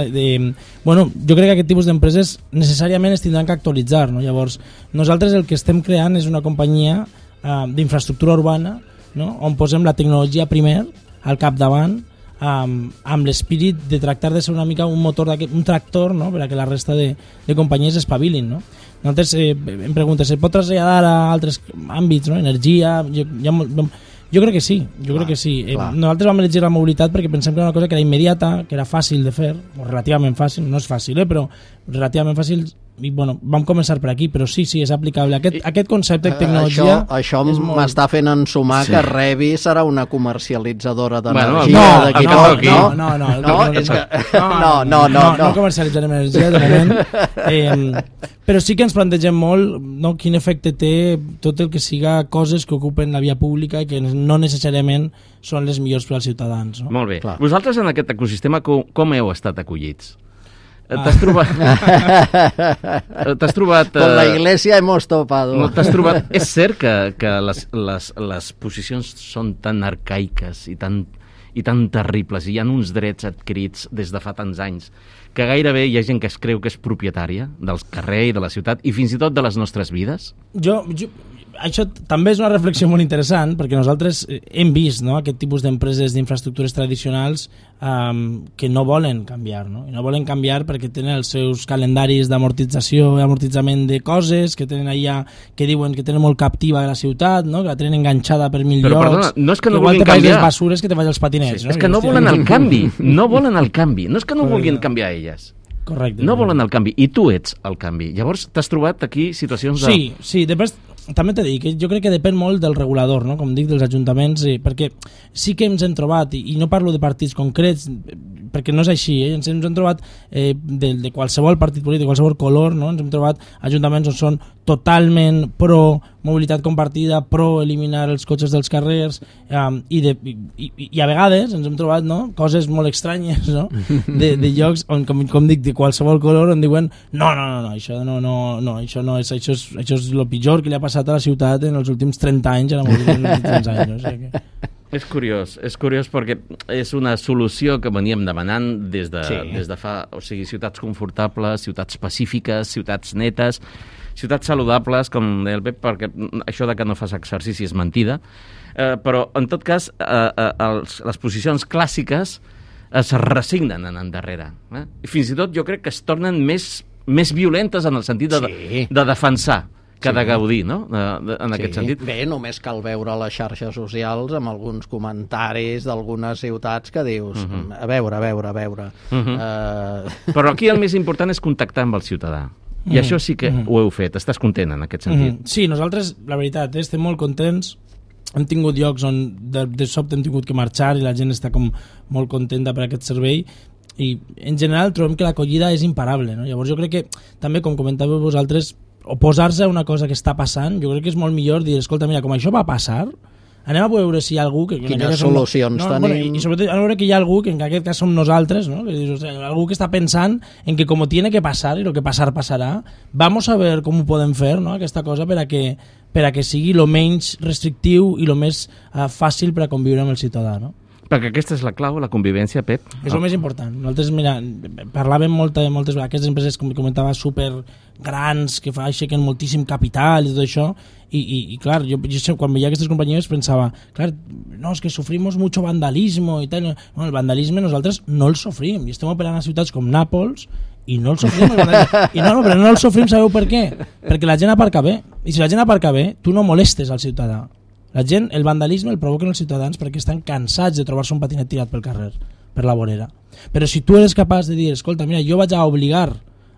Bueno, jo crec que aquest tipus d'empreses necessàriament es tindran que actualitzar, no? Llavors, nosaltres el que estem creant és una companyia d'infraestructura urbana, no? On posem la tecnologia primer al capdavant, amb l'espírit de tractar de ser una mica un motor, un tractor, no? Per a que la resta de companyies espavilin, no? Nosaltres em preguntes, se pot traslladar a altres àmbits, no? Energia, jo crec que sí, crec que sí. Nosaltres vam elegir la mobilitat perquè pensem que era una cosa que era immediata, que era fàcil de fer, o relativament fàcil, no és fàcil, però relativament fàcil. I bueno, vam començar per aquí, però sí, és aplicable. Aquest concepte de tecnologia... Això m'està fent ensumar que Revi serà una comercialitzadora d'energia d'aquí poc, no? No comercialitzarem energia, de moment. Però sí que ens plantegem molt, no, quin efecte té tot el que siga coses que ocupen la via pública i que no necessàriament són les millors per als ciutadans. No? Molt bé. Clar. Vosaltres en aquest ecosistema com heu estat acollits? T'has trobat... Con la iglesia hemos topado. T'has trobat... És cert que les posicions són tan arcaiques i tan terribles, i hi ha uns drets adquirits des de fa tants anys, que gairebé hi ha gent que es creu que és propietària del carrer i de la ciutat, i fins i tot de les nostres vides? Això també és una reflexió molt interessant, perquè nosaltres hem vist, no, aquest tipus d'empreses d'infraestructures tradicionals que no volen canviar, no? I no volen canviar perquè tenen els seus calendaris d'amortització i amortitzament de coses, que tenen allà, que diuen que tenen molt captiva la ciutat, no? Que la tenen enganxada per mil llocs. Perdona, no és que no igual vulguin te canviar. Les basures que te vaig als patinets. Sí, no? És que no volen el canvi, no volen el canvi, no és que no vulguin canviar elles. Correcte. No volen el canvi, i tu ets el canvi. Llavors t'has trobat aquí situacions de... Sí, després també t'he dit que jo crec que depèn molt del regulador, no? Com dic, dels ajuntaments, perquè sí que ens hem trobat, i no parlo de partits concrets, perquè no és així, ens hem trobat de qualsevol partit polític, de qualsevol color, no? Ens hem trobat ajuntaments on són totalment pro mobilitat compartida, pro eliminar els cotxes dels carrers, i a vegades ens hem trobat, no, coses molt estranyes, no? de llocs on, com dic, de qualsevol color, on diuen no, això és el pitjor que li ha passat a la ciutat en els últims 30 anys, en els últims 30 anys, no? O sigui que... És curiós perquè és una solució que veníem demanant des de fa, o sigui, ciutats confortables, ciutats pacífiques, ciutats netes, ciutats saludables, com deia el Pep, perquè això de que no fas exercici és mentida, però en tot cas les posicions clàssiques es resignen en endarrere. I fins i tot jo crec que es tornen més violentes en el sentit de defensar que de gaudir, no? En aquest sentit. Bé, només cal veure les xarxes socials amb alguns comentaris d'algunes ciutats que dius, a veure. Però aquí el més important és contactar amb el ciutadà. I això sí que ho heu fet. Estàs content en aquest sentit? Sí, nosaltres, la veritat, estem molt contents. Hem tingut llocs on de sobte hem tingut que marxar i la gent està com molt contenta per aquest servei, i en general trobem que l'acollida és imparable, no? Llavors jo crec que també, com comentàveu vosaltres, oposar-se a una cosa que està passant, jo crec que és molt millor dir, escolta, mira, com això va passar, anem a veure si hi ha algú que... Quines solucions tenim. Bueno, i sobretot a veure que hi ha algú, que en aquest cas som nosaltres, ¿no? O sea, algú que està pensant en que como tiene que pasar, y lo que pasar pasará, vamos a ver com ho podem fer, no? Aquesta cosa per a que sigui lo menys restrictiu i lo més fàcil per a conviure amb el ciutadà, no? Perquè aquesta és la clau, la convivència, Pep. És el més important. Nosaltres, mira, parlàvem moltes vegades, aquestes empreses, com comentava, super grans, que aixequen moltíssim capital i tot això, i clar, jo quan veia aquestes companyies pensava, clar, no, és que sofrimos mucho vandalismo i tal. No, el vandalisme nosaltres no el sofrim, i estem operant a ciutats com Nàpols i no el sofrim. Però no el sofrim, sabeu per què? Perquè la gent aparca bé, i si la gent aparca bé, tu no molestes al ciutadà. La gent, el vandalisme el provoquen els ciutadans perquè estan cansats de trobar-se un patinet tirat pel carrer, per la vorera. Però si tu eres capaç de dir, escolta, mira, jo vaig a obligar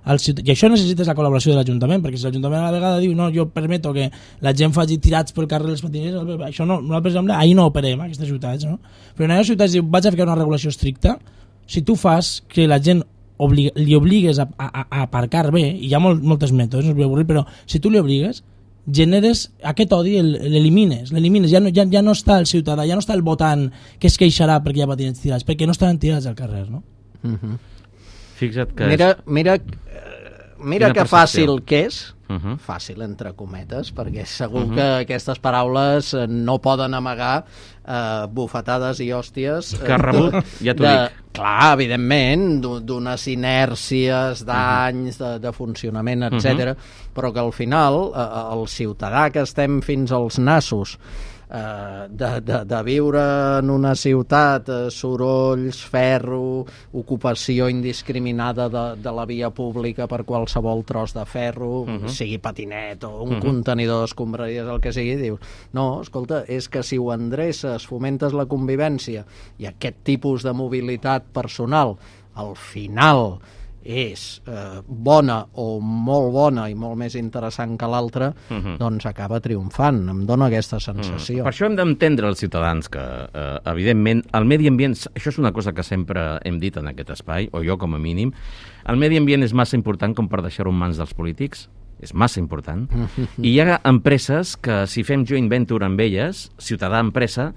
al ciutadà, i això necessites la col·laboració de l'Ajuntament, perquè si l'Ajuntament a la vegada diu, no, jo permeto que la gent faci tirats pel carrer els patinets, això no, per exemple, ahir no operem, aquestes ciutats, no? Però en aquestes ciutats diu, vaig a ficar una regulació estricta, si tu fas que la gent li obligues a aparcar bé, i hi ha moltes mètodes, no us vull avorrir, però si tu li obligues, generes aquest odi, l'elimines, ja no està el ciutadà, ja no està el votant que es queixarà perquè hi ha patinets tirats, perquè no estaran tirats al carrer, no? Fixa't que... Mira que fàcil que és, fàcil entre cometes, perquè segur que aquestes paraules no poden amagar bufetades i hòsties que ha rebut, ja t'ho dic. Clar, evidentment, d'unes inèrcies, d'anys, de funcionament, etc. Però que al final el ciutadà que estem fins als nassos de viure en una ciutat, sorolls, ferro, ocupació indiscriminada de la via pública per qualsevol tros de ferro, sigui patinet o un contenidor d'escombraries, el que sigui, dius, no, escolta, és que si ho endreces, fomentes la convivència i aquest tipus de mobilitat personal, al final és bona o molt bona i molt més interessant que l'altra, doncs acaba triomfant. Em dóna aquesta sensació. Per això hem d'entendre els ciutadans que, evidentment, el medi ambient, això és una cosa que sempre hem dit en aquest espai, o jo com a mínim, el medi ambient és massa important com per deixar-ho en mans dels polítics, és massa important, i hi ha empreses que si fem joint venture amb elles, ciutadà-empresa,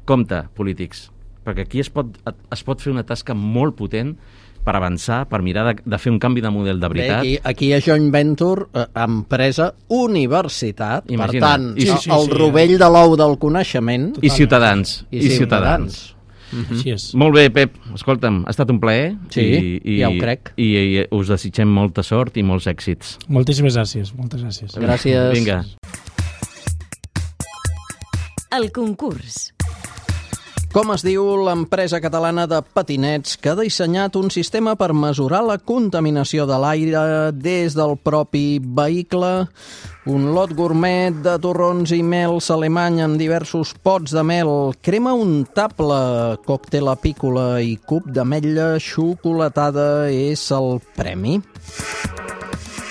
compte, polítics, perquè aquí es pot fer una tasca molt potent per avançar, per mirar de fer un canvi de model de veritat. Bé, aquí hi ha joint venture, empresa, universitat, imagina't. Per tant, el rovell de l'ou del coneixement. I ciutadans. Així és. Molt bé, Pep, escolta'm, ha estat un plaer. Sí, ja ho crec. I us desitgem molta sort i molts èxits. Moltíssimes gràcies, moltes gràcies. Gràcies. Vinga. El concurs. Com es diu l'empresa catalana de patinets que ha dissenyat un sistema per mesurar la contaminació de l'aire des del propi vehicle? Un lot gourmet de torrons i mels alemany amb diversos pots de mel, crema untable, còctel apícola i cub d'ametlla xocolatada és el premi.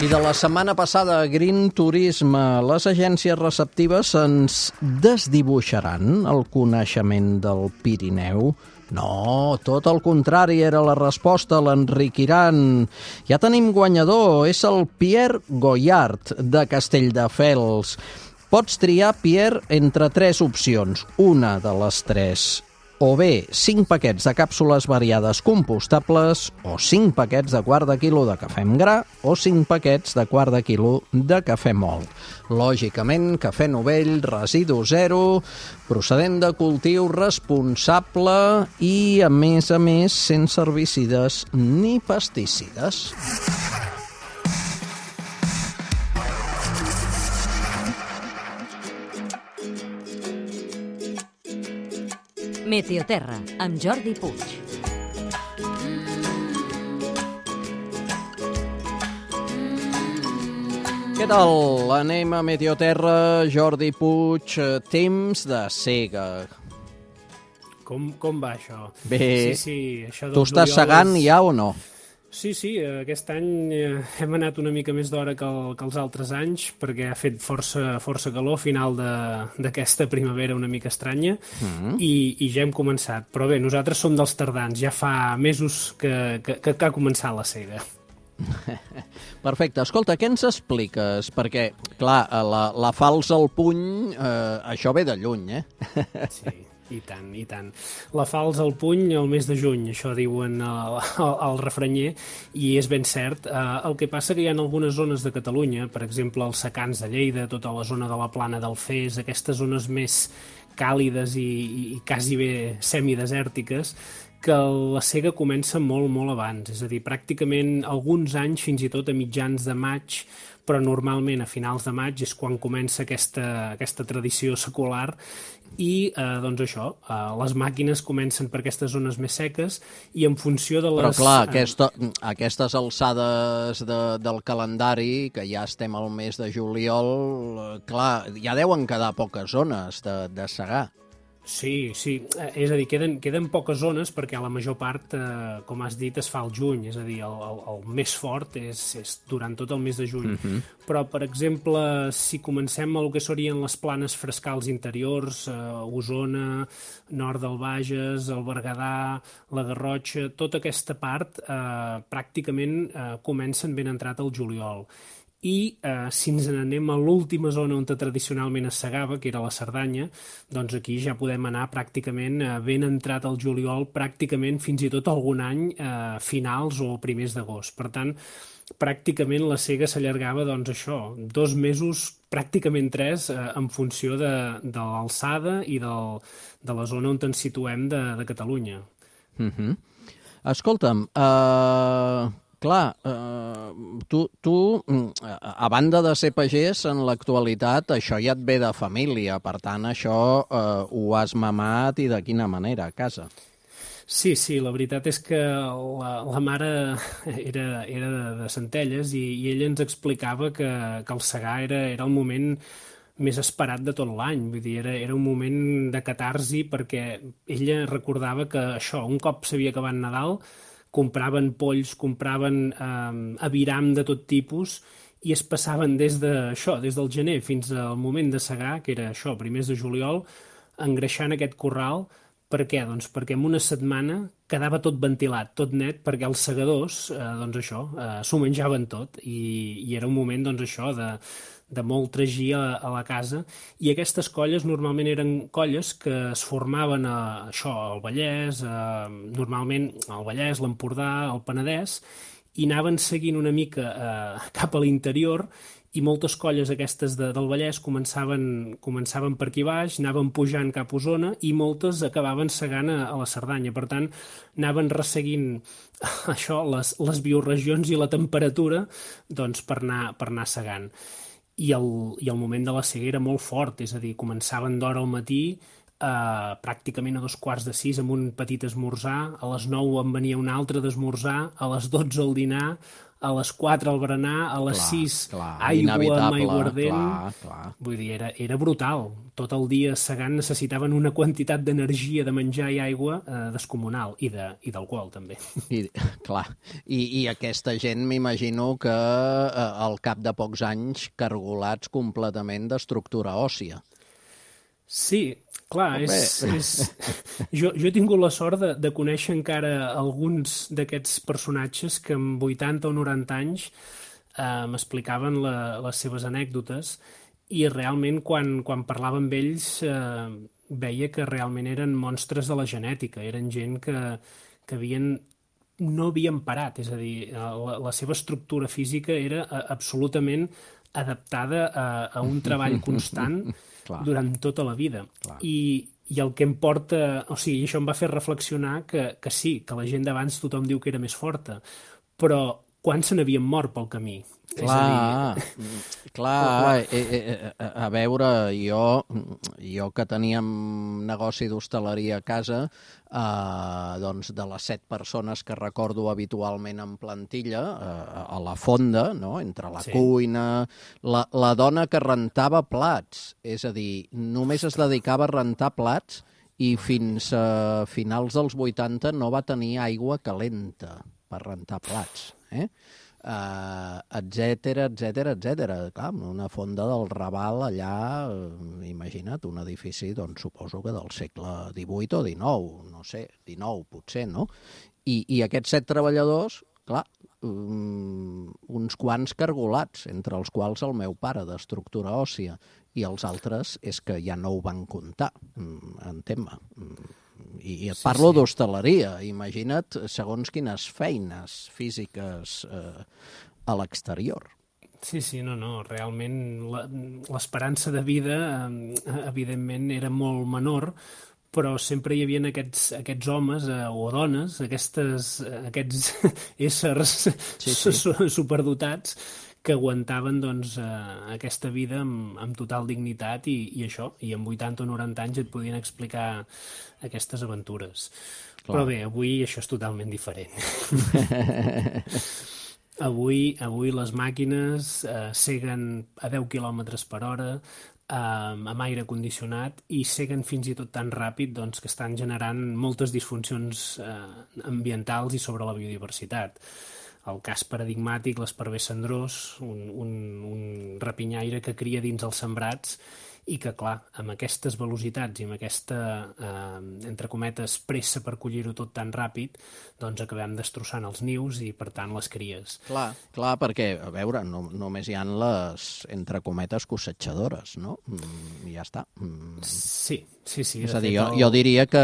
I de la setmana passada, Green Turisme, les agències receptives ens desdibuixaran el coneixement del Pirineu? No, tot el contrari era la resposta, l'enriquiran. Ja tenim guanyador, és el Pierre Goyart, de Castelldefels. Pots triar, Pierre, entre 3 opcions, una de les 3. O bé 5 paquets de càpsules variades compostables, o 5 paquets de quart de quilo de cafè amb gra, o 5 paquets de quart de quilo de cafè mòlt. Lògicament, cafè novell, residu zero, procedent de cultiu responsable i, a més, sense herbicides ni pesticides. Meteoterra, amb Jordi Puig. Què tal? Anem a Meteoterra, Jordi Puig, temps de sega. Com va això? Bé, sí, això tu estàs segant ja o no? Sí, aquest any hem anat una mica més d'hora que els altres anys perquè ha fet força calor a final d'aquesta primavera una mica estranya i ja hem començat. Però bé, nosaltres som dels tardans, ja fa mesos que ha començat la sega. Perfecte. Escolta, què ens expliques? Perquè, clar, la falç al puny, això ve de lluny, Sí. I tant. La falç al puny el mes de juny, això diuen al refranyer, i és ben cert. El que passa que hi ha algunes zones de Catalunya, per exemple els secans de Lleida, tota la zona de la Plana del Fes, aquestes zones més càlides i quasi bé semidesèrtiques, que la sega comença molt abans, és a dir, pràcticament alguns anys, fins i tot a mitjans de maig, però normalment a finals de maig és quan comença aquesta tradició secular i, doncs això, les màquines comencen per aquestes zones més seques i en funció de les... Però clar, aquestes alçades del calendari, que ja estem al mes de juliol, clar, ja deuen quedar poques zones de segar. Sí, és a dir, queden poques zones perquè la major part, com has dit, es fa al juny, és a dir, el més fort és durant tot el mes de juny. Però, per exemple, si comencem el que serien les planes frescals interiors, Osona, nord del Bages, el Berguedà, la Garrotxa, tota aquesta part pràcticament comencen ben entrat al juliol. i si ens n'anem a l'última zona on tradicionalment es segava, que era la Cerdanya, doncs aquí ja podem anar pràcticament ben entrat al juliol, pràcticament fins i tot algun any finals o primers d'agost. Per tant, pràcticament la sega s'allargava, doncs això, 2 mesos, pràcticament 3, en funció de l'alçada i de la zona on ens situem de Catalunya. Escolta'm, clar, tu, a banda de ser pagès, en l'actualitat això ja et ve de família, per tant, això ho has mamat i de quina manera, a casa? Sí, la veritat és que la mare era de Centelles i ella ens explicava que el segar era el moment més esperat de tot l'any. Vull dir, era un moment de catarsi perquè ella recordava que això, un cop s'havia acabat Nadal, compraven polls, compraven aviram de tot tipus i es passaven des del gener fins al moment de segar, que era això, primers de juliol, engreixant aquest corral. Per què? Doncs perquè en una setmana quedava tot ventilat, tot net, perquè els segadors, s'ho menjaven tot i era un moment, doncs això, de molt tragí a la casa, i aquestes colles normalment eren colles que es formaven al Vallès, normalment al Vallès, l'Empordà, el Penedès, i anaven seguint una mica cap a l'interior, i moltes colles aquestes del Vallès començaven per aquí baix, anaven pujant cap a Osona i moltes acabaven segant a la Cerdanya. Per tant, anaven resseguint això, les bioregions i la temperatura, doncs, per anar segant. I el moment de la sega era molt fort, és a dir, començaven d'hora al matí, pràcticament a 5:45 amb un petit esmorzar, a les 9 en venia un altre d'esmorzar, a les 12 el dinar, a les 4 el berenar, a les 6 aigua amb aiguardent. Vull dir, era brutal. Tot el dia segant necessitaven una quantitat d'energia, de menjar i aigua descomunal, i d'alcohol també. I aquesta gent m'imagino que al cap de pocs anys cargolats completament d'estructura òssia. Sí, clar, jo he tingut la sort de conèixer encara alguns d'aquests personatges que amb 80 o 90 anys m'explicaven les seves anècdotes i realment quan parlava amb ells veia que realment eren monstres de la genètica, eren gent que no havien parat, és a dir, la seva estructura física era absolutament adaptada a un treball constant durant tota la vida. I el que em porta... O sigui, això em va fer reflexionar que sí, que la gent d'abans tothom diu que era més forta, però quan se n'havien mort pel camí? A veure, jo que teníem negoci d'hostaleria a casa, doncs de les 7 persones que recordo habitualment en plantilla, a la fonda, no? Entre la cuina, la dona que rentava plats, és a dir, només es dedicava a rentar plats i fins a finals dels 80 no va tenir aigua calenta per rentar plats, etcètera. Clar, una fonda del Raval allà, imagina't, un edifici, doncs suposo que del segle XVIII o XIX, no sé, XIX potser, no? I aquests 7 treballadors, clar, uns quants cargolats, entre els quals el meu pare, d'estructura òssia, i els altres és que ja no ho van comptar, en tema. I et parlo d'hostaleria, imagina't segons quines feines físiques a l'exterior. Sí, no, realment l'esperança de vida evidentment era molt menor, però sempre hi havia aquests homes o dones, aquests éssers superdotats que aguantaven doncs, aquesta vida amb total dignitat i això, i amb 80 o 90 anys et podien explicar aquestes aventures. Clar. Però bé, avui això és totalment diferent. Avui les màquines seguen a 10 km per hora, amb aire condicionat, i seguen fins i tot tan ràpid doncs, que estan generant moltes disfuncions ambientals i sobre la biodiversitat. El cas paradigmàtic, l'esparver cendrós, un rapinyaire que cria dins els sembrats i que, clar, amb aquestes velocitats i amb aquesta, entre cometes, pressa per collir-ho tot tan ràpid, doncs acabem destrossant els nius i, per tant, les cries. Clar, perquè, a veure, només hi ha les, entre cometes, cosetxadores, no? I ja està. Sí. És a dir, jo diria que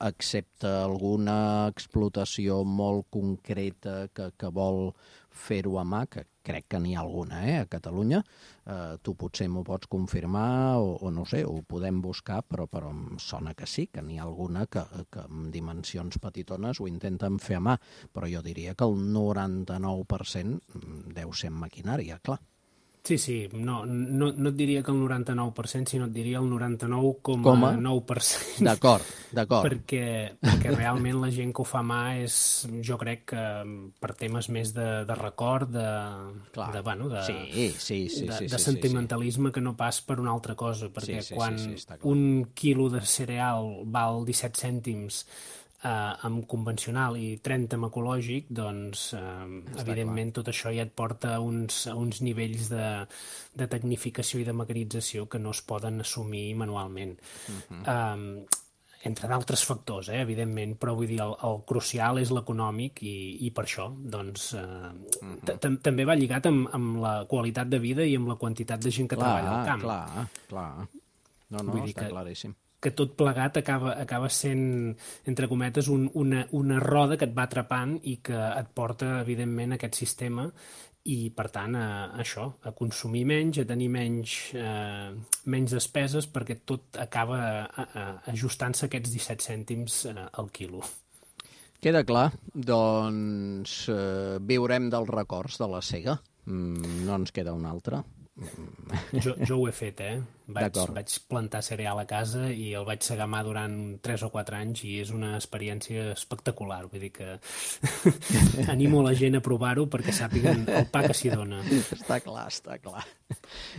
excepte alguna explotació molt concreta que vol fer-ho a mà, que crec que n'hi ha alguna, a Catalunya, tu potser m'ho pots confirmar o no sé, ho podem buscar, però em sona que sí, que n'hi ha alguna que amb dimensions petitones ho intenten fer a mà, però jo diria que el 99% deu ser en maquinària, clar. Sí, no et diria que el 99%, sinó et diria el 99,9%. D'acord. Perquè realment la gent que ho fa a mà és, jo crec que per temes més de record, de sentimentalisme que no pas per una altra cosa, perquè quan un quilo de cereal val 17 cèntims amb convencional i 30 amb ecològic, doncs evidentment tot això ja et porta a uns nivells de tecnificació i de mecanització que no es poden assumir manualment. Entre d'altres factors, evidentment, però vull dir, el crucial és l'econòmic i per això, doncs, també va lligat amb la qualitat de vida i amb la quantitat de gent que treballa al camp. Clar. No, està claríssim. Que tot plegat acaba sent, entre cometes, una roda que et va atrapant i que et porta, evidentment, a aquest sistema i, per tant, a consumir menys, a tenir menys despeses, perquè tot acaba ajustant-se aquests 17 cèntims al quilo. Queda clar. Doncs viurem dels records de la sega. No ens queda un altre. Jo ho he fet, Vaig plantar cereal a casa i el vaig segar a mà durant 3 o 4 anys i és una experiència espectacular. Vull dir que animo la gent a provar-ho perquè sàpiguen el pa que s'hi dona. Està clar.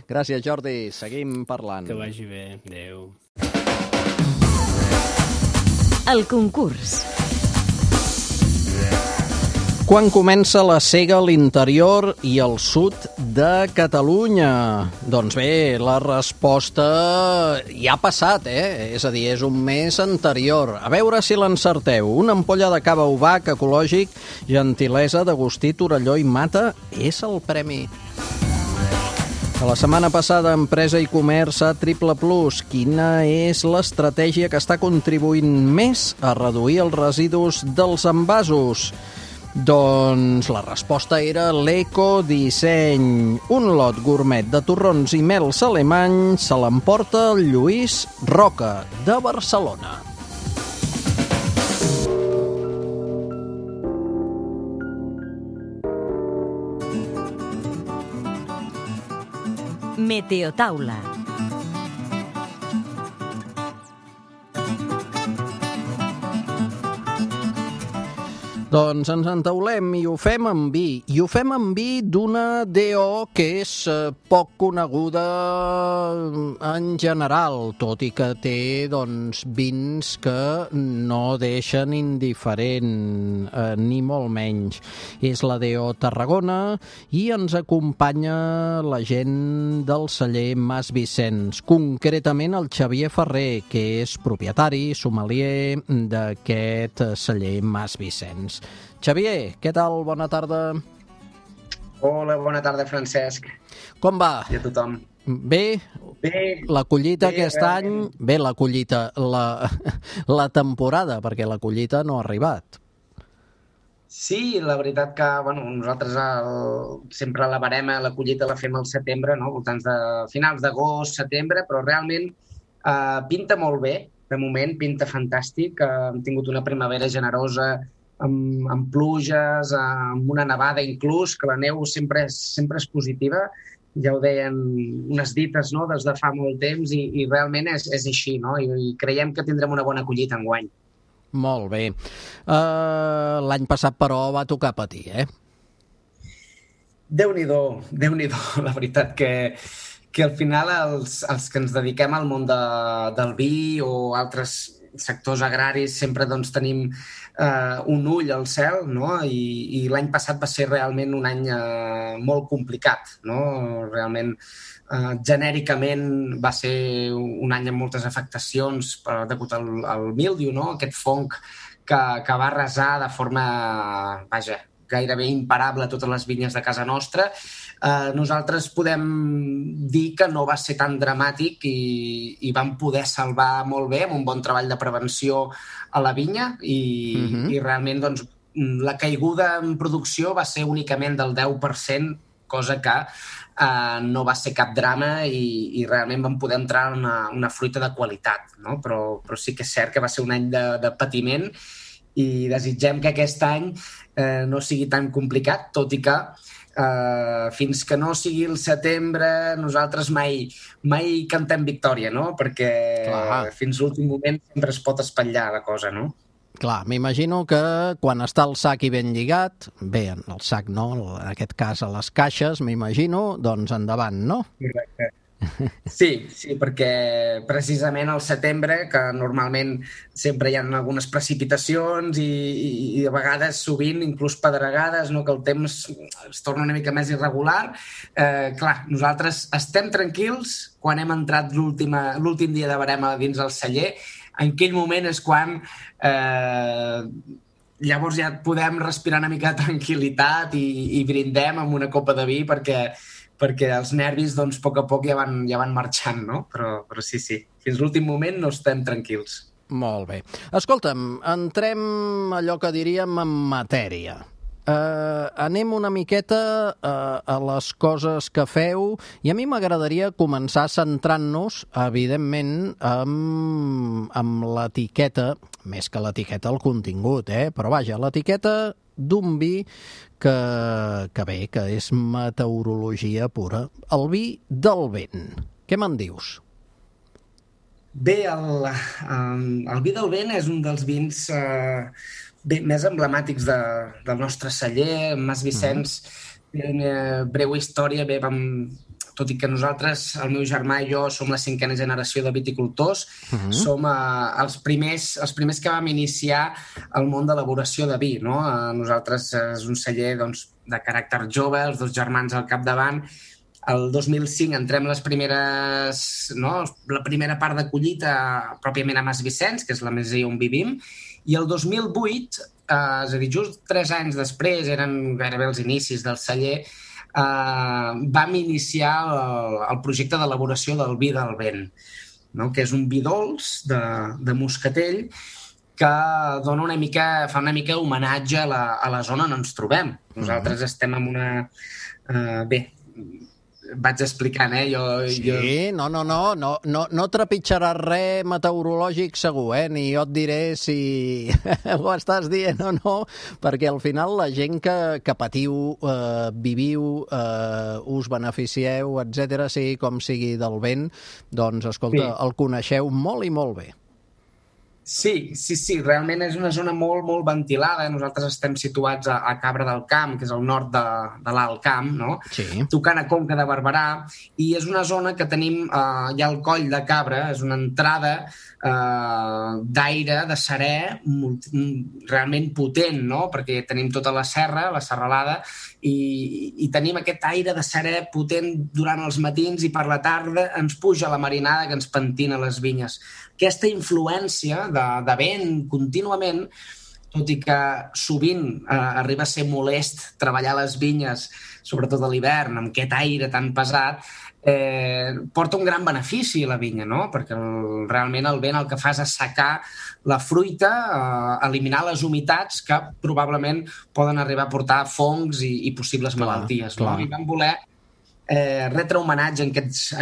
Gràcies, Jordi. Seguim parlant. Que vagi bé. Adéu. El concurs. Quan comença la sega a l'interior i al sud de Catalunya? Doncs bé, la resposta ja ha passat, És a dir, és un mes anterior. A veure si l'encerteu. Una ampolla de cava Obac ecològic, gentilesa d'Agustí Torelló i Mata, és el premi. A la setmana passada, Empresa i Comerç a Triple Plus. Quina és l'estratègia que està contribuint més a reduir els residus dels envasos? Doncs la resposta era l'ecodisseny. Un lot gourmet de torrons i mels alemanys se l'emporta el Lluís Roca, de Barcelona. Meteotaula. Doncs ens entaulem i ho fem amb vi. I ho fem amb vi d'una DO que és poc coneguda en general, tot i que té vins que no deixen indiferent, ni molt menys. És la DO Tarragona i ens acompanya la gent del celler Mas Vicenç, concretament el Xavier Ferrer, que és propietari, sommelier d'aquest celler Mas Vicenç. Xavier, què tal? Bona tarda. Hola, bona tarda, Francesc. Com va? I a tothom. Bé? La collita aquest any... Bé, la collita, la temporada, perquè la collita no ha arribat. Sí, la veritat que nosaltres sempre la barema, la collita la fem al setembre, no? Voltants de finals d'agost, setembre, però realment pinta molt bé, de moment, pinta fantàstic. Hem tingut una primavera generosa, amb pluges, amb una nevada inclús, que la neu sempre és positiva. Ja ho deien unes dites, no?, des de fa molt temps i realment és així, no? I creiem que tindrem una bona collita enguany. Molt bé. L'any passat, però, va tocar patir, Déu-n'hi-do. La veritat que al final els que ens dediquem al món del vi o altres sectors agraris sempre doncs, tenim un ull al cel, no? I l'any passat va ser realment un any molt complicat, no? Realment, genèricament va ser un any amb moltes afectacions degut al míldiu, no? Aquest fong que va arrasar de forma, gairebé imparable totes les vinyes de casa nostra. Nosaltres podem dir que no va ser tan dramàtic i vam poder salvar molt bé amb un bon treball de prevenció a la vinya i realment doncs, la caiguda en producció va ser únicament del 10%, cosa que no va ser cap drama i realment vam poder entrar en una fruita de qualitat, no? Però sí que és cert que va ser un any de patiment i desitgem que aquest any no sigui tan complicat, tot i que fins que no sigui el setembre nosaltres mai cantem victòria, no? Perquè fins l'últim moment sempre es pot espatllar la cosa, no? Clar, m'imagino que quan està el sac i ben lligat, bé, el sac no, en aquest cas a les caixes, m'imagino, doncs endavant, no? Correcte. Sí, perquè precisament al setembre, que normalment sempre hi ha algunes precipitacions i a vegades, sovint, inclús pedregades, no? Que el temps es torna una mica més irregular. Clar, nosaltres estem tranquils quan hem entrat l'últim dia de barema dins el celler. En aquell moment és quan llavors ja podem respirar una mica de tranquil·litat i brindem amb una copa de vi perquè els nervis, doncs, a poc a poc ja van marxant, no? Però sí, fins l'últim moment no estem tranquils. Molt bé. Escolta'm, entrem allò que diríem en matèria. Anem una miqueta a les coses que feu i a mi m'agradaria començar centrant-nos, evidentment, amb l'etiqueta, més que l'etiqueta, el contingut, però vaja, l'etiqueta d'un vi que és meteorologia pura. El vi del vent. Què me'n dius? Bé, el vi del vent és un dels vins més emblemàtics del nostre celler. Mas Vicenç té una breu història. Bé, tot i que nosaltres, el meu germà i jo, som la 5a generació de viticultors, som els primers que vam iniciar el món d'elaboració de vi, no? Nosaltres és un celler doncs, de caràcter jove, els 2 germans al capdavant. El 2005 entrem la primera part de collita pròpiament a Mas Vicenç, que és la masia on vivim, i el 2008, és a dir, just 3 anys després, eren gairebé els inicis del celler, vam iniciar el projecte d'elaboració del vi del vent, no? Que és un vi dolç de moscatell que fa una mica homenatge a la zona on ens trobem. Nosaltres estem en una... vaig explicant, Sí, no trepitjaràs res meteorològic segur, ni jo et diré si ho estàs dient o no, perquè al final la gent que patiu, viviu, us beneficieu, etc., sigui com sigui del vent, doncs, escolta, el coneixeu molt i molt bé. Sí, realment és una zona molt, molt ventilada. Nosaltres estem situats a Cabra del Camp, que és al nord de l'Alt Camp, no? Sí. Tocant a Conca de Barberà, i és una zona que tenim ja al Coll de Cabra, és una entrada d'aire, de serè, realment potent, no? Perquè tenim tota la serra, la serralada, i tenim aquest aire de serè potent durant els matins i per la tarda ens puja la marinada que ens pentina les vinyes. Aquesta influència de vent contínuament, tot i que sovint arriba a ser molest treballar les vinyes, sobretot a l'hivern, amb aquest aire tan pesat, porta un gran benefici a la vinya, no? Perquè realment el vent el que fa és assecar la fruita, eliminar les humitats que probablement poden arribar a portar fongs i possibles malalties. No? I vam voler retre homenatge a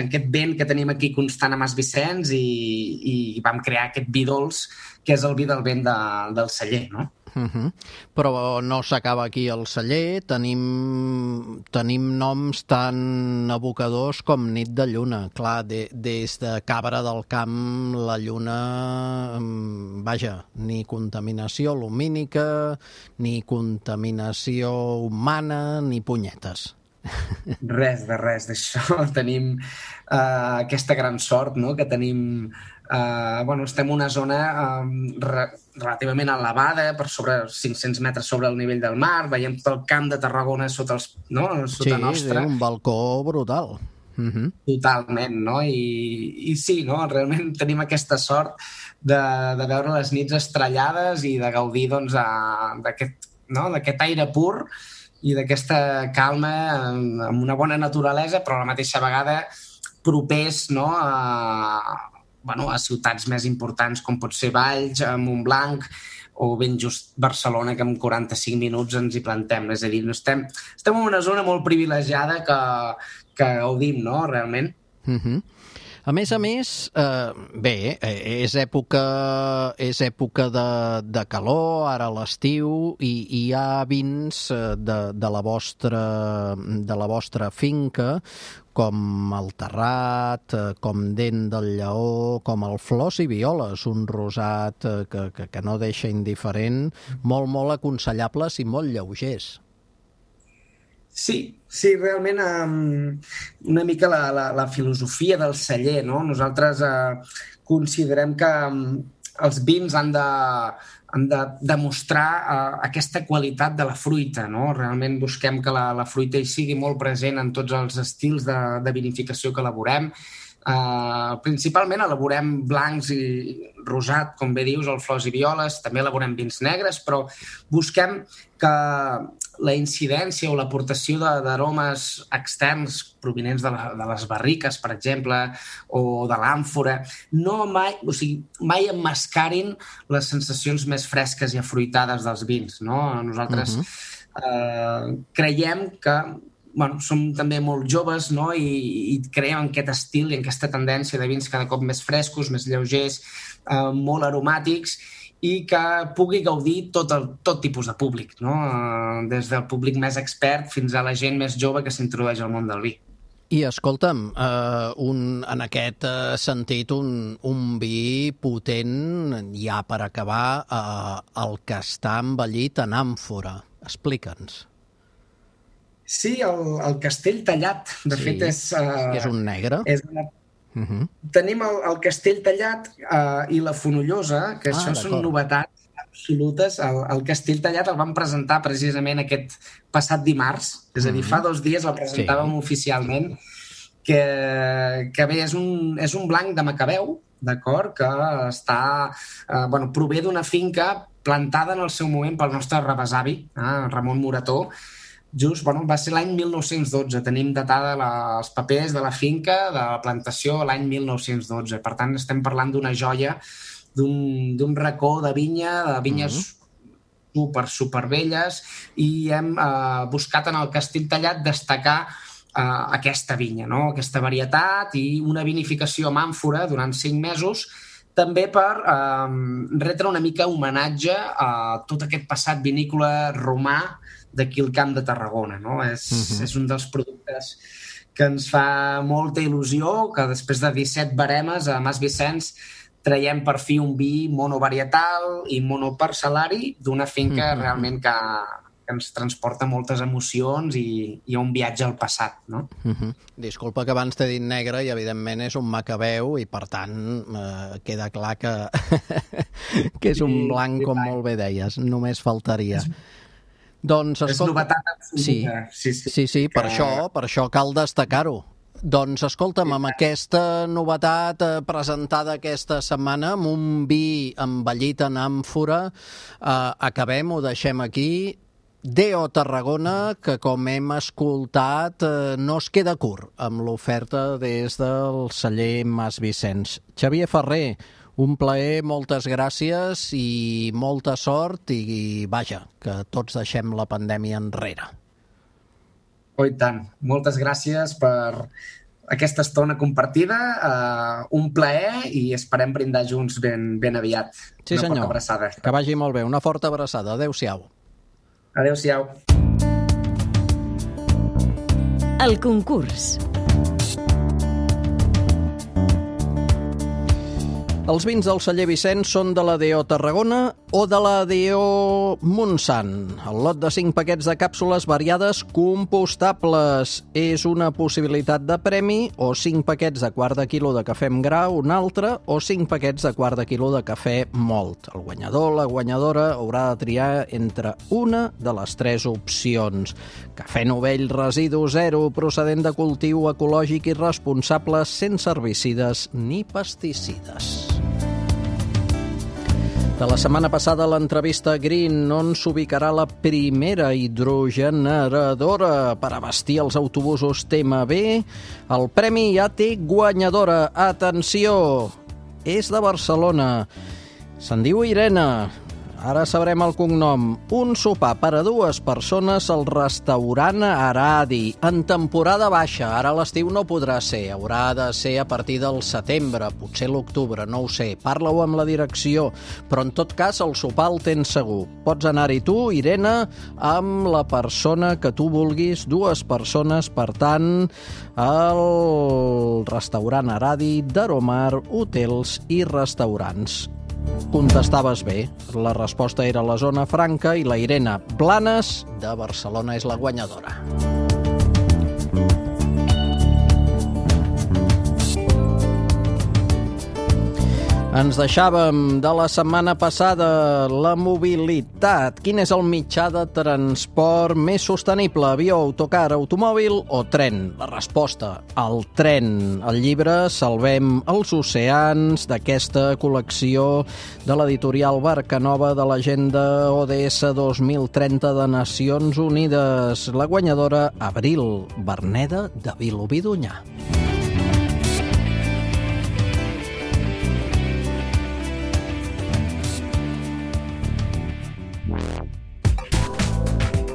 aquest vent que tenim aquí constant a Mas Vicenç i vam crear aquest vi dolç, que és el vi del vent del celler, no? Però no s'acaba aquí el celler, tenim noms tan evocadors com Nit de Lluna. Clar, des de Cabra del Camp la lluna, vaja, ni contaminació lumínica, ni contaminació humana, ni punyetes. Res d'això. Tenim aquesta gran sort, no?, que tenim... estem en una zona relativament elevada, per sobre 500 metres sobre el nivell del mar, veiem tot el camp de Tarragona sota nostre. Sí, un balcó brutal. Totalment, no? I sí, no? Realment tenim aquesta sort de veure les nits estrellades i de gaudir d'aquest aire pur i d'aquesta calma amb una bona naturalesa, però a la mateixa vegada propers, no?, a ciutats més importants com pot ser Valls, Montblanc o ben just Barcelona, que en 45 minuts ens hi plantem. És a dir, estem en una zona molt privilegiada que gaudim, no?, realment. A més, és època de calor, ara a l'estiu, i hi ha vins de la vostra finca, com el Terrat, com Dent del Lleó, com el Flors i Violes, un rosat que no deixa indiferent, molt aconsellables i molt lleugers. Sí, realment una mica la filosofia del celler, no? Nosaltres considerem que els vins han de demostrar aquesta qualitat de la fruita, no? Realment busquem que la fruita hi sigui molt present en tots els estils de vinificació que elaborem. Principalment elaborem blancs i rosat, com bé dius, el Flors i Violes, també elaborem vins negres, però busquem que la incidència o l'aportació d'aromes externs provinents de les barriques, per exemple, o de l'àmfora, mai emmascarin les sensacions més fresques i afruitades dels vins, no? Nosaltres creiem que som també molt joves, no?, i creiem en aquest estil i en aquesta tendència de vins cada cop més frescos, més lleugers, molt aromàtics, i que pugui gaudir tot tipus de públic, no? Des del públic més expert fins a la gent més jove que s'introdueix al món del vi. I escolta'm, en aquest sentit, un vi potent, ja per acabar, el que està envellit en àmfora. Explica'ns. Sí, el Castell Tallat, de fet és... És un negre. Tenim el Castell Tallat i la Fonollosa, que això són novetats absolutes. El Castell Tallat el vam presentar precisament aquest passat dimarts, és a dir, fa 2 dies el presentàvem oficialment, que bé, és un blanc de Macabeu, d'acord, que prové d'una finca plantada en el seu moment pel nostre rebesavi, Ramon Morató. Just, va ser l'any 1912. Tenim datada els papers de la finca, de la plantació, l'any 1912. Per tant, estem parlant d'una joia, d'un racó de vinya, de vinyes supervelles, i hem buscat en el Castell Tallat destacar aquesta vinya, no?, aquesta varietat, i una vinificació amb àmfora durant 5 mesos, també per retre una mica homenatge a tot aquest passat vinícola romà d'aquí al Camp de Tarragona, no? És un dels productes que ens fa molta il·lusió, que després de 17 baremes a Mas Vicenç traiem per fi un vi monovarietal i monoparcel·lari d'una finca realment que ens transporta moltes emocions i un viatge al passat, no? Disculpa que abans t'he dit negre i evidentment és un Macabeu i per tant queda clar que és un blanc, com molt bé deies, només faltaria. Doncs, és novetat absoluta. Sí, per això cal destacar-ho. Doncs, escolta'm, amb aquesta novetat presentada aquesta setmana, amb un vi envellit en àmfora, acabem, ho deixem aquí. D.O. Tarragona, que com hem escoltat no es queda curt amb l'oferta des del celler Mas Vicenç. Xavier Ferrer, un plaer, moltes gràcies i molta sort i vaja, que tots deixem la pandèmia enrere. Oh, i tant. Moltes gràcies per aquesta estona compartida. Un plaer i esperem brindar junts ben aviat. Sí, senyor. Una forta abraçada. Que vagi molt bé. Una forta abraçada. Adéu-siau. Adéu-siau. El concurs. Els vins del celler Vicenç són de la DO Tarragona o de la DO Montsant. El lot de 5 paquets de càpsules variades compostables és una possibilitat de premi, o 5 paquets de quart de quilo de cafè amb gra, un altre, o 5 paquets de quart de quilo de cafè mòlt. El guanyador, la guanyadora, haurà de triar entre una de les 3 opcions. Cafè novell residu zero, procedent de cultiu ecològic i responsable, sense herbicides ni pesticides. De la setmana passada, l'entrevista Green, on s'ubicarà la primera hidrogeneradora per abastir els autobusos TMB. El premi ja té guanyadora. Atenció! És de Barcelona. Se'n diu Irene. Ara sabrem el cognom. Un sopar per a 2 persones al restaurant Aradi, en temporada baixa. Ara a l'estiu no podrà ser, haurà de ser a partir del setembre, potser l'octubre, no ho sé. Parla-ho amb la direcció, però en tot cas el sopar el tens segur. Pots anar-hi tu, Irene, amb la persona que tu vulguis, 2 persones, per tant, al restaurant Aradi d'Aromar Hotels i Restaurants. Contestaves bé. La resposta era la zona franca i la Irene Blanes de Barcelona és la guanyadora. Ens deixàvem de la setmana passada la mobilitat. Quin és el mitjà de transport més sostenible? Avió, autocar, automòbil o tren? La resposta, el tren. El llibre Salvem els oceans, d'aquesta col·lecció de l'editorial Barcanova de l'agenda ODS 2030 de Nacions Unides. La guanyadora, Abril Verneda de Vilobí d'Onyar.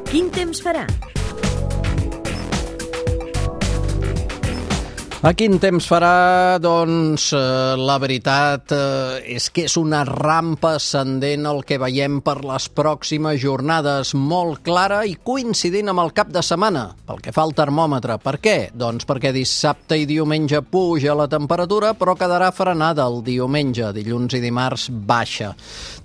Quin temps farà? A quin temps farà? Doncs la veritat és que és una rampa ascendent el que veiem per les pròximes jornades, molt clara i coincidint amb el cap de setmana, pel que fa al termòmetre. Per què? Doncs perquè dissabte i diumenge puja la temperatura, però quedarà frenada el diumenge, dilluns i dimarts baixa.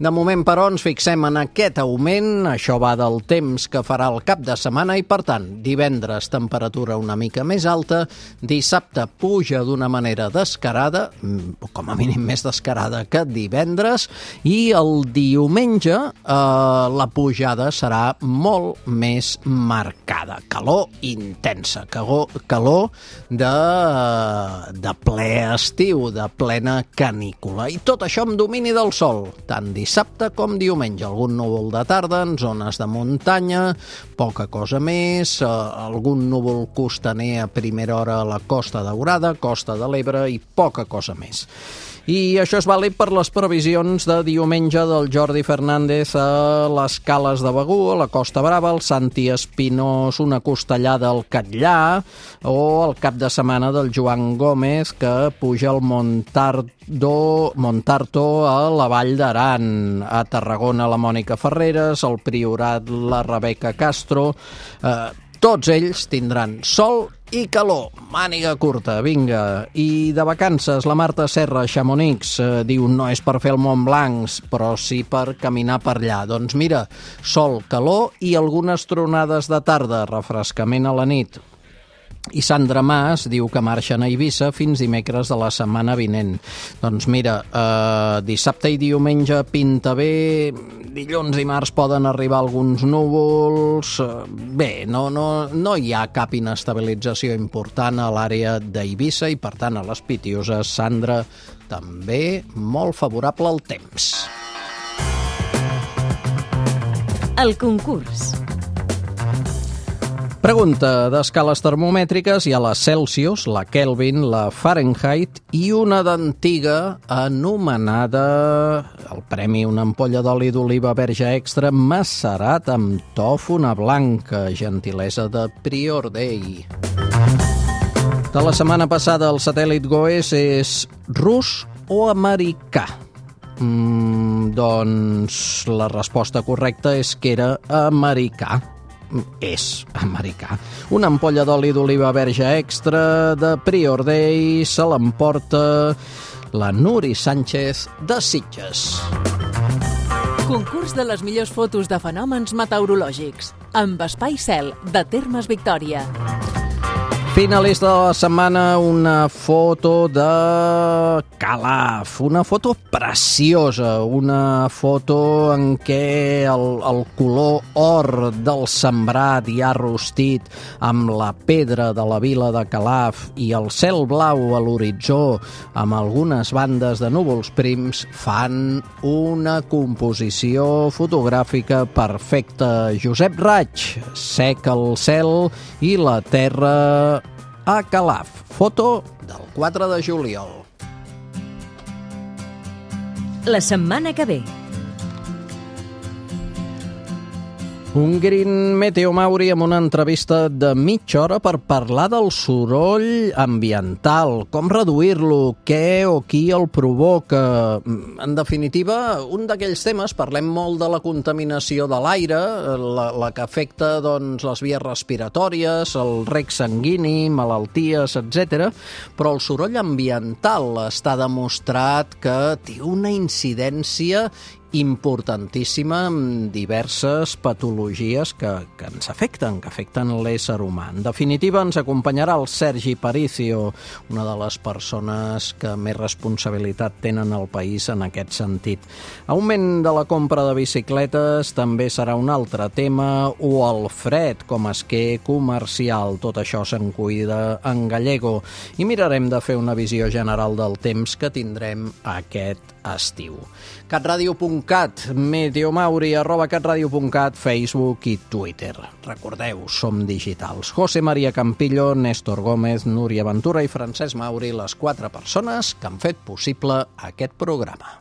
De moment, però, ens fixem en aquest augment, això va del temps que farà el cap de setmana i, per tant, divendres temperatura una mica més alta, dissabte puja d'una manera descarada, com a mínim més descarada que divendres, i el diumenge la pujada serà molt més marcada. Calor intensa, calor de ple estiu, de plena canícula. I tot això amb domini del sol, tant dissabte com diumenge. Algun núvol de tarda en zones de muntanya, poca cosa més, algun núvol costaner a primera hora a la Costa Daurada, Costa de l'Ebre i poca cosa més. I això és vàlid per les previsions de diumenge del Jordi Fernández a les Cales de Begur, a la Costa Brava, el Santi Espinós, una costellada al Catllà, o el cap de setmana del Joan Gómez, que puja al Montarto a la Vall d'Aran, a Tarragona la Mònica Ferreres, al Priorat la Rebeca Castro. Tots ells tindran sol i calor, màniga curta, vinga. I de vacances, la Marta Serra, Chamonix, diu no és per fer el Mont Blanc, però sí per caminar per allà. Doncs mira, sol, calor i algunes tronades de tarda, refrescament a la nit. I Sandra Mas diu que marxen a Eivissa fins dimecres de la setmana vinent. Doncs mira, dissabte i diumenge pinta bé, dilluns i març poden arribar alguns núvols. Bé, no hi ha cap inestabilització important a l'àrea d'Eivissa i, per tant, a les Pitiuses, Sandra, també molt favorable al temps. El concurs. Pregunta d'escales termomètriques. Hi ha la Celsius, la Kelvin, la Fahrenheit i una d'antiga anomenada, el premi, una ampolla d'oli d'oliva verge extra macerat amb tòfona blanca, gentilesa de Prior Day. De la setmana passada, el satèl·lit GOES és rus o americà? Doncs la resposta correcta és que era americà. És americà. Una ampolla d'oli d'oliva verge extra de Prior Day se l'emporta la Nuri Sánchez de Sitges. Concurs de les millors fotos de fenòmens meteorològics amb Espai Cel de Termes Victòria. Finalista de la setmana, una foto de Calaf, una foto preciosa, una foto en què el color or del sembrat ja rostit amb la pedra de la vila de Calaf i el cel blau a l'horitzó amb algunes bandes de núvols prims fan una composició fotogràfica perfecta. Josep Raig, sec el cel i la terra a Calaf. Foto del 4 de juliol. La setmana que ve. Un Green Meteo Mauri amb una entrevista de mitja hora per parlar del soroll ambiental, com reduir-lo, què o qui el provoca. En definitiva, un d'aquells temes, parlem molt de la contaminació de l'aire, la que afecta les vies respiratòries, el rec sanguini, malalties, etc. Però el soroll ambiental està demostrat que té una incidència importantíssima amb diverses patologies que ens afecten, que afecten l'ésser humà. En definitiva, ens acompanyarà el Sergi Paricio, una de les persones que més responsabilitat tenen al país en aquest sentit. Augment de la compra de bicicletes també serà un altre tema, o el fred com a esquer comercial. Tot això se'n cuida en Gallego. I mirarem de fer una visió general del temps que tindrem aquest estiu. catradio.cat, Meteomauri, @catradio.cat, Facebook i Twitter. Recordeu, som digitals. José María Campillo, Néstor Gómez, Núria Ventura i Francesc Mauri, les 4 persones que han fet possible aquest programa.